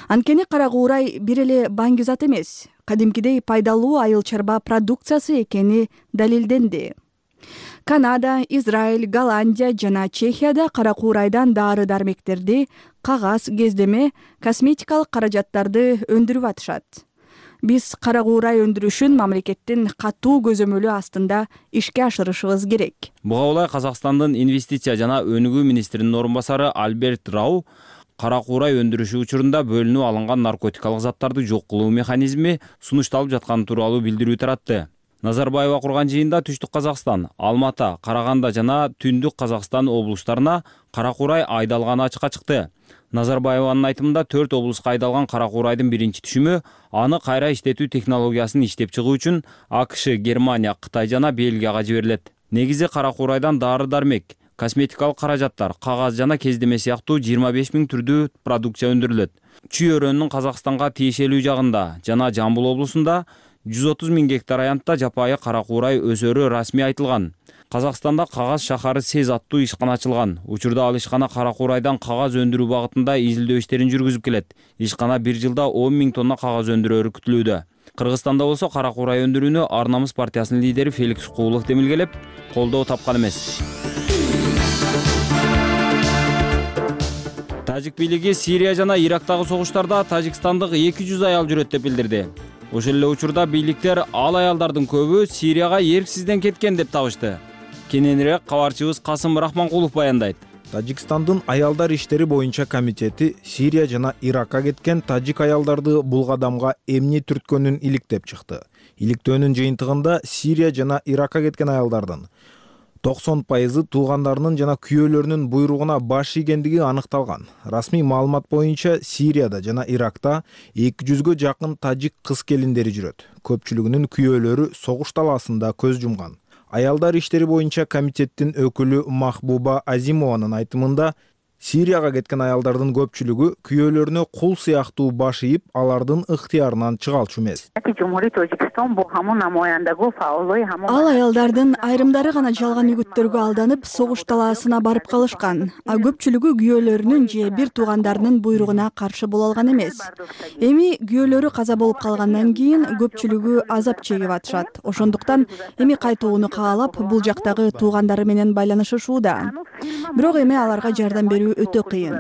Анткени кара куурай бир эле баңги зат эмес, кадимкидей пайдалуу айыл чарба продукциясы экени далилденди. Канада, Израиль, Голландия жана Чехияда кара куурайдан дары-дармектерди, кагаз, кездеме, косметикалык каражаттарды өндүрүп атышат. Биз кара куурай өндүрүшүн мамлекеттин катуу көзөмөлү астында ишке ашырышыбыз керек. Буга улай Казакстандын инвестиция жана өнүгүү министринин орун басары Альберт Рау кара куурай өндүрүшү учурунда бөлүнүп алынган наркотикалык заттарды жок кылуу механизми сунушталып жатканы тууралуу билдирүү таратты. Назарбаева курган жыйында Түштүк Казакстан, Алмата, Караганда жана Түндүк Казакстан облустарына кара куурай айдалганы ачыкка чыкты. Назарбаеванын айтымында 4 облуска айдалган кара куурайдын биринчи түшүмү аны кайра иштетүү технологиясын иштеп чыгуу үчүн АКШ, Германия, Кытай жана Бельгияга жиберилет. Негизи кара куурайдан дары-дармек, косметикалык каражаттар, кагаз жана кездеме сыяктуу 25 000 түрдүү продукция өндүрүлөт. Чүй өрөөнүнүн Казакстанга тиешелүү жагында жана Жамбыл облусунда 130 000 гектар аянтта жапайы кара куурай өсөрү расмий айтылган. Казакстанда кагаз шахары СЕЗ аттуу ишкана ачылган. Учурда ал ишкана кара куурайдан кагаз өндүрүү багытында изилдөө иштерин жүргүзүп келет. Ишкана бир жылда 10 000 тонна кагаз өндүрөөрү күтүлүүдө. Кыргызстанда болсо кара куурай өндүрүүнү Ар намыс партиясынын лидери Феликс Куулов демилгелеп, колдоо тапкан эмес. Тажик бийлиги Сирия жана Ирактагы согуштарда тажикстандык 200 аял жүрөт деп билдирди. Ошол эле учурда бийликтер ал аялдардын көбү Сирияга эрксизден кеткен деп табышты. Кененирээк кабарчыбыз Касым Рахманкулов баяндайт. Тажикстандын аялдар иштери боюнча комитети Сирия жана Иракка кеткен тажик аялдарды бул кадамга эмне түрткөнүн иликтеп чыкты. Иликтөөнүн жыйынтыгында Сирия жана Иракка кеткен аялдардын 90% туугандарынын жана күйөөлөрүнүн буйругуна баш ийгендиги аныкталган. Расмий маалымат боюнча Сирияда жана Иракта 200гө жакын тажик кыз келиндери жүрөт. Көпчүлүгүнүн күйөөлөрү согуш талаасында көз жумган. Аялдар иштери боюнча комитеттин өкүлү Махбуба Азимованын айтымында, Сирияга кеткен аялдардын көпчүлүгү күйөөлөрүнө кул сыяктуу баш ийип, алардын ыктыярынан чыгалчу эмес. Ал аялдардын айрымдары гана жалган үгүттөргө алданып, согуш талаасына барып калышкан. А көпчүлүгү күйөөлөрүнүн же бир туугандарынын буйругуна каршы боло алган эмес. Эми күйөөлөрү каза болуп калгандан кийин көпчүлүгү азап чегип атышат. Ошондуктан эми кайтууну каалап, бул жактагы туугандары менен байланышышууда. Бирок эми аларга жардам берүү өтө кыйын.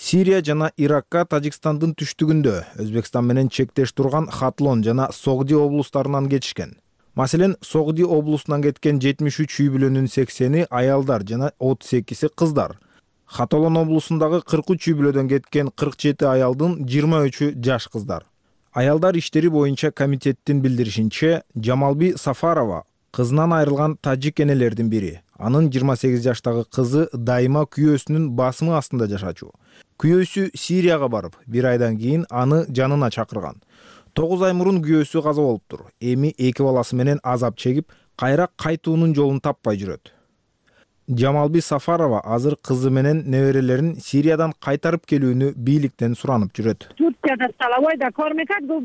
Сирия жана Иракка Тажикстандын түштүгүндө Өзбекстан менен чектеш турган Хатлон жана Согди облустарынан кетишкен. Маселен, Согди облусунан кеткен 73 үй бүлөнүн 80-и аялдар жана 32-си кыздар. Хатолон облусундагы 43 үй бүлөдөн кеткен 47 аялдын 23-ü жаш кыздар. Аялдар иштери боюнча комитеттин билдиришинче, Жамалби Сафарова кызынан айрылган тажик энелердин бири. Анын 28 жаштагы кызы дайыма күйөөсүнүн басымы астында жашачу. Күйөөсү Сирияга барып, бир айдан кийин аны жанына чакырган. 9 ай мурун күйөөсү каза болуптур. Эми 2 баласы менен азап чегип, кайра кайтуунун жолун таппай жүрөт. Жамалби Сафарова азыр кызы менен неберелерин Сириядан кайтарып келүүнү бийликтен суранып жүрөт.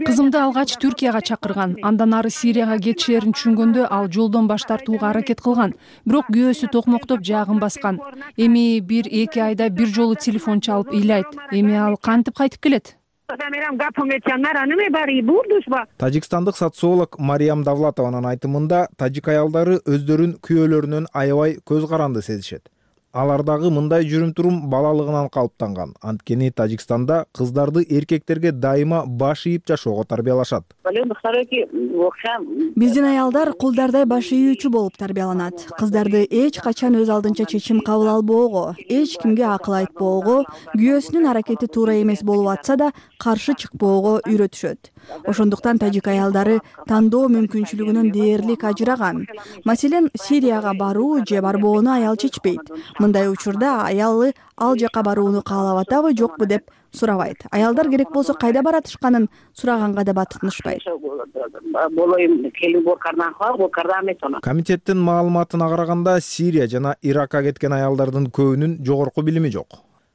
Кызымды алгач Түркияга чакырган. Андан ары Сирияга кетишерин түшүнгөндө ал жолдон баш тартууга аракет кылган. Бирок күйөөсү токмоктоп жаагын баскан. Эми 1-2 айда бир жолу телефон чалып ыйлайт. Эми ал кантип кайтып келет? Тажикстандык социолог Мариям Давлатованын айтымында, тажик аялдары өздөрүн күйөөлөрүнөн аябай көз каранды сезишет. Алардагы мындай жүрүм-турум балалыгынан калыптанган. Анткени Тажикстанда кыздарды эркектерге дайыма баш ийип жашоого тарбиялашат. Биздин аялдар кулдардай баш ийүүчү болуп тарбияланат. Кыздарды эч качан өз алдынча чечим кабыл албоого, эч кимге акыл айтпоого, күйөөсүнүн аракети туура эмес болуп атса да каршы чыкпоого үйрөтүшөт. Ошондуктан тажик аялдары тандоо мүмкүнчүлүгүнөн дээрлик ажыраган. Маселен, Сирияга баруу же барбоону аял чечпейт. Мындай учурда аялы ал жака барууну каалап атабы, жокпу деп сурабайт. Аялдар керек болсо кайда баратышканын сураганга да батынышпайт. Комитеттин маалыматына караганда, Сирия жана Иракка кеткен аялдардын көбүнүн жогорку билими жок.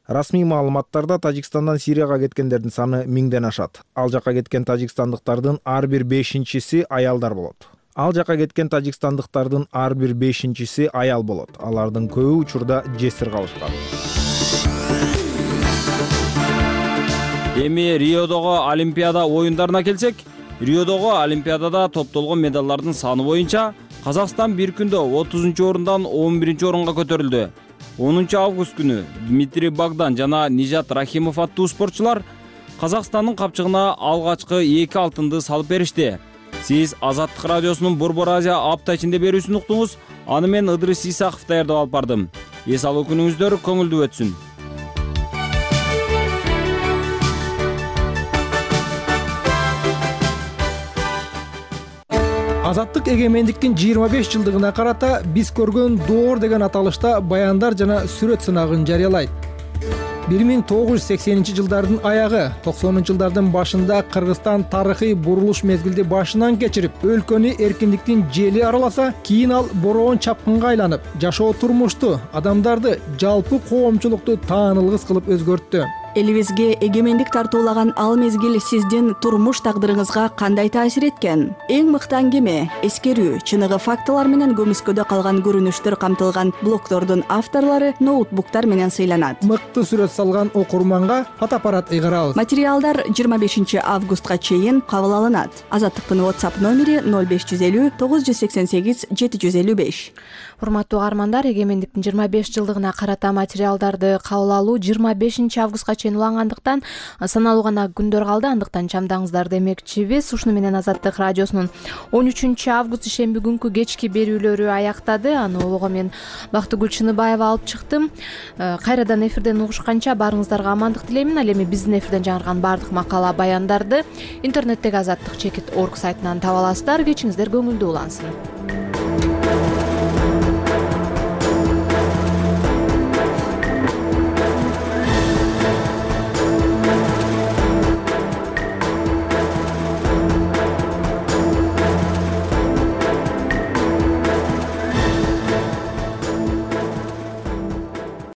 Расмий маалыматтарда Тажикстандан Сирияга кеткендердин саны 1000ден ашат. Ал жака кеткен тажикстандыктардын ар бир 5-си аялдар болот. Ал жака кеткен тажикстандыктардын ар бир 5-си аял болот. Алардын көбү учурда жесир калышкан. Эми Риодогу Олимпиада оюндарына келсек, Риодогу Олимпиадада топтолгон медалдардын саны боюнча Казакстан бир күндө 30-орундан 11-орунга көтөрүлдү. 10 август күнү Дмитрий Богдан жана Нижат Рахимов аттуу спортчулар Казакстандын капчыгына алгачкы 2 алтынды салып беришти. Сиз Азаттык радиосунун Борбор Азия апта ичинде берүүсүн уктуңуз. Аны мен Ыдрыс Исаков даярдап алып бардым. Эс алуу күнүңүздөр көңүлдүү өтсүн. Азаттык эгемендиктин 25 жылдыгына карата биз көргөн доор деген аталышта баяндар жана сүрөт сынагын жарыялайт. 1980-жылдардын аягы, 90-жылдардын башында Кыргызстан тарыхый бурулуш мезгилди башынан кечирип, өлкөнү эркиндиктин жели араласа, кийин ал бороон чапкынга айланып, жашоо турмушту, адамдарды, жалпы коомчулукту таанылгыс кылып өзгөрттү. Элибизге эгемендик тартуулаган ал мезгил сиздин турмуш тагдырыңызга кандай таасир эткен? Эң мыкты аңгеме, эскерүү, чыныгы фактылар менен көмүскөдө калган көрүнүштөр камтылган блогдордун авторлору ноутбуктар менен сыйланат. Мыкты сүрөт салган окурманга фотоаппарат ыйгарабыз. Материалдар 25 августка чейин кабыл алынат. Азаттыктын WhatsApp номери 0550 988 755. урматтуу каармандар, эгемендиктин 25 жылдыгына карата материалдарды кабыл алуу 25 августка чейин улангандыктан саналуу гана күндөр калды. Андыктан чамдаңыздар демекчибиз. Ушуну менен Азаттык радиосунун 13 август ишемби күнкү кечки берүүлөрү аяктады. Аны улоого мен Бактыгүл Чыныбаева алып чыктым. Кайрадан эфирден угушканча баарыңыздарга амандык тилеймин. Ал эми биздин эфирден жаңырган баардык макала баяндарды интернеттеги азаттык.org сайтынан таба аласыздар. Кечиңиздер көңүлдүү улансын.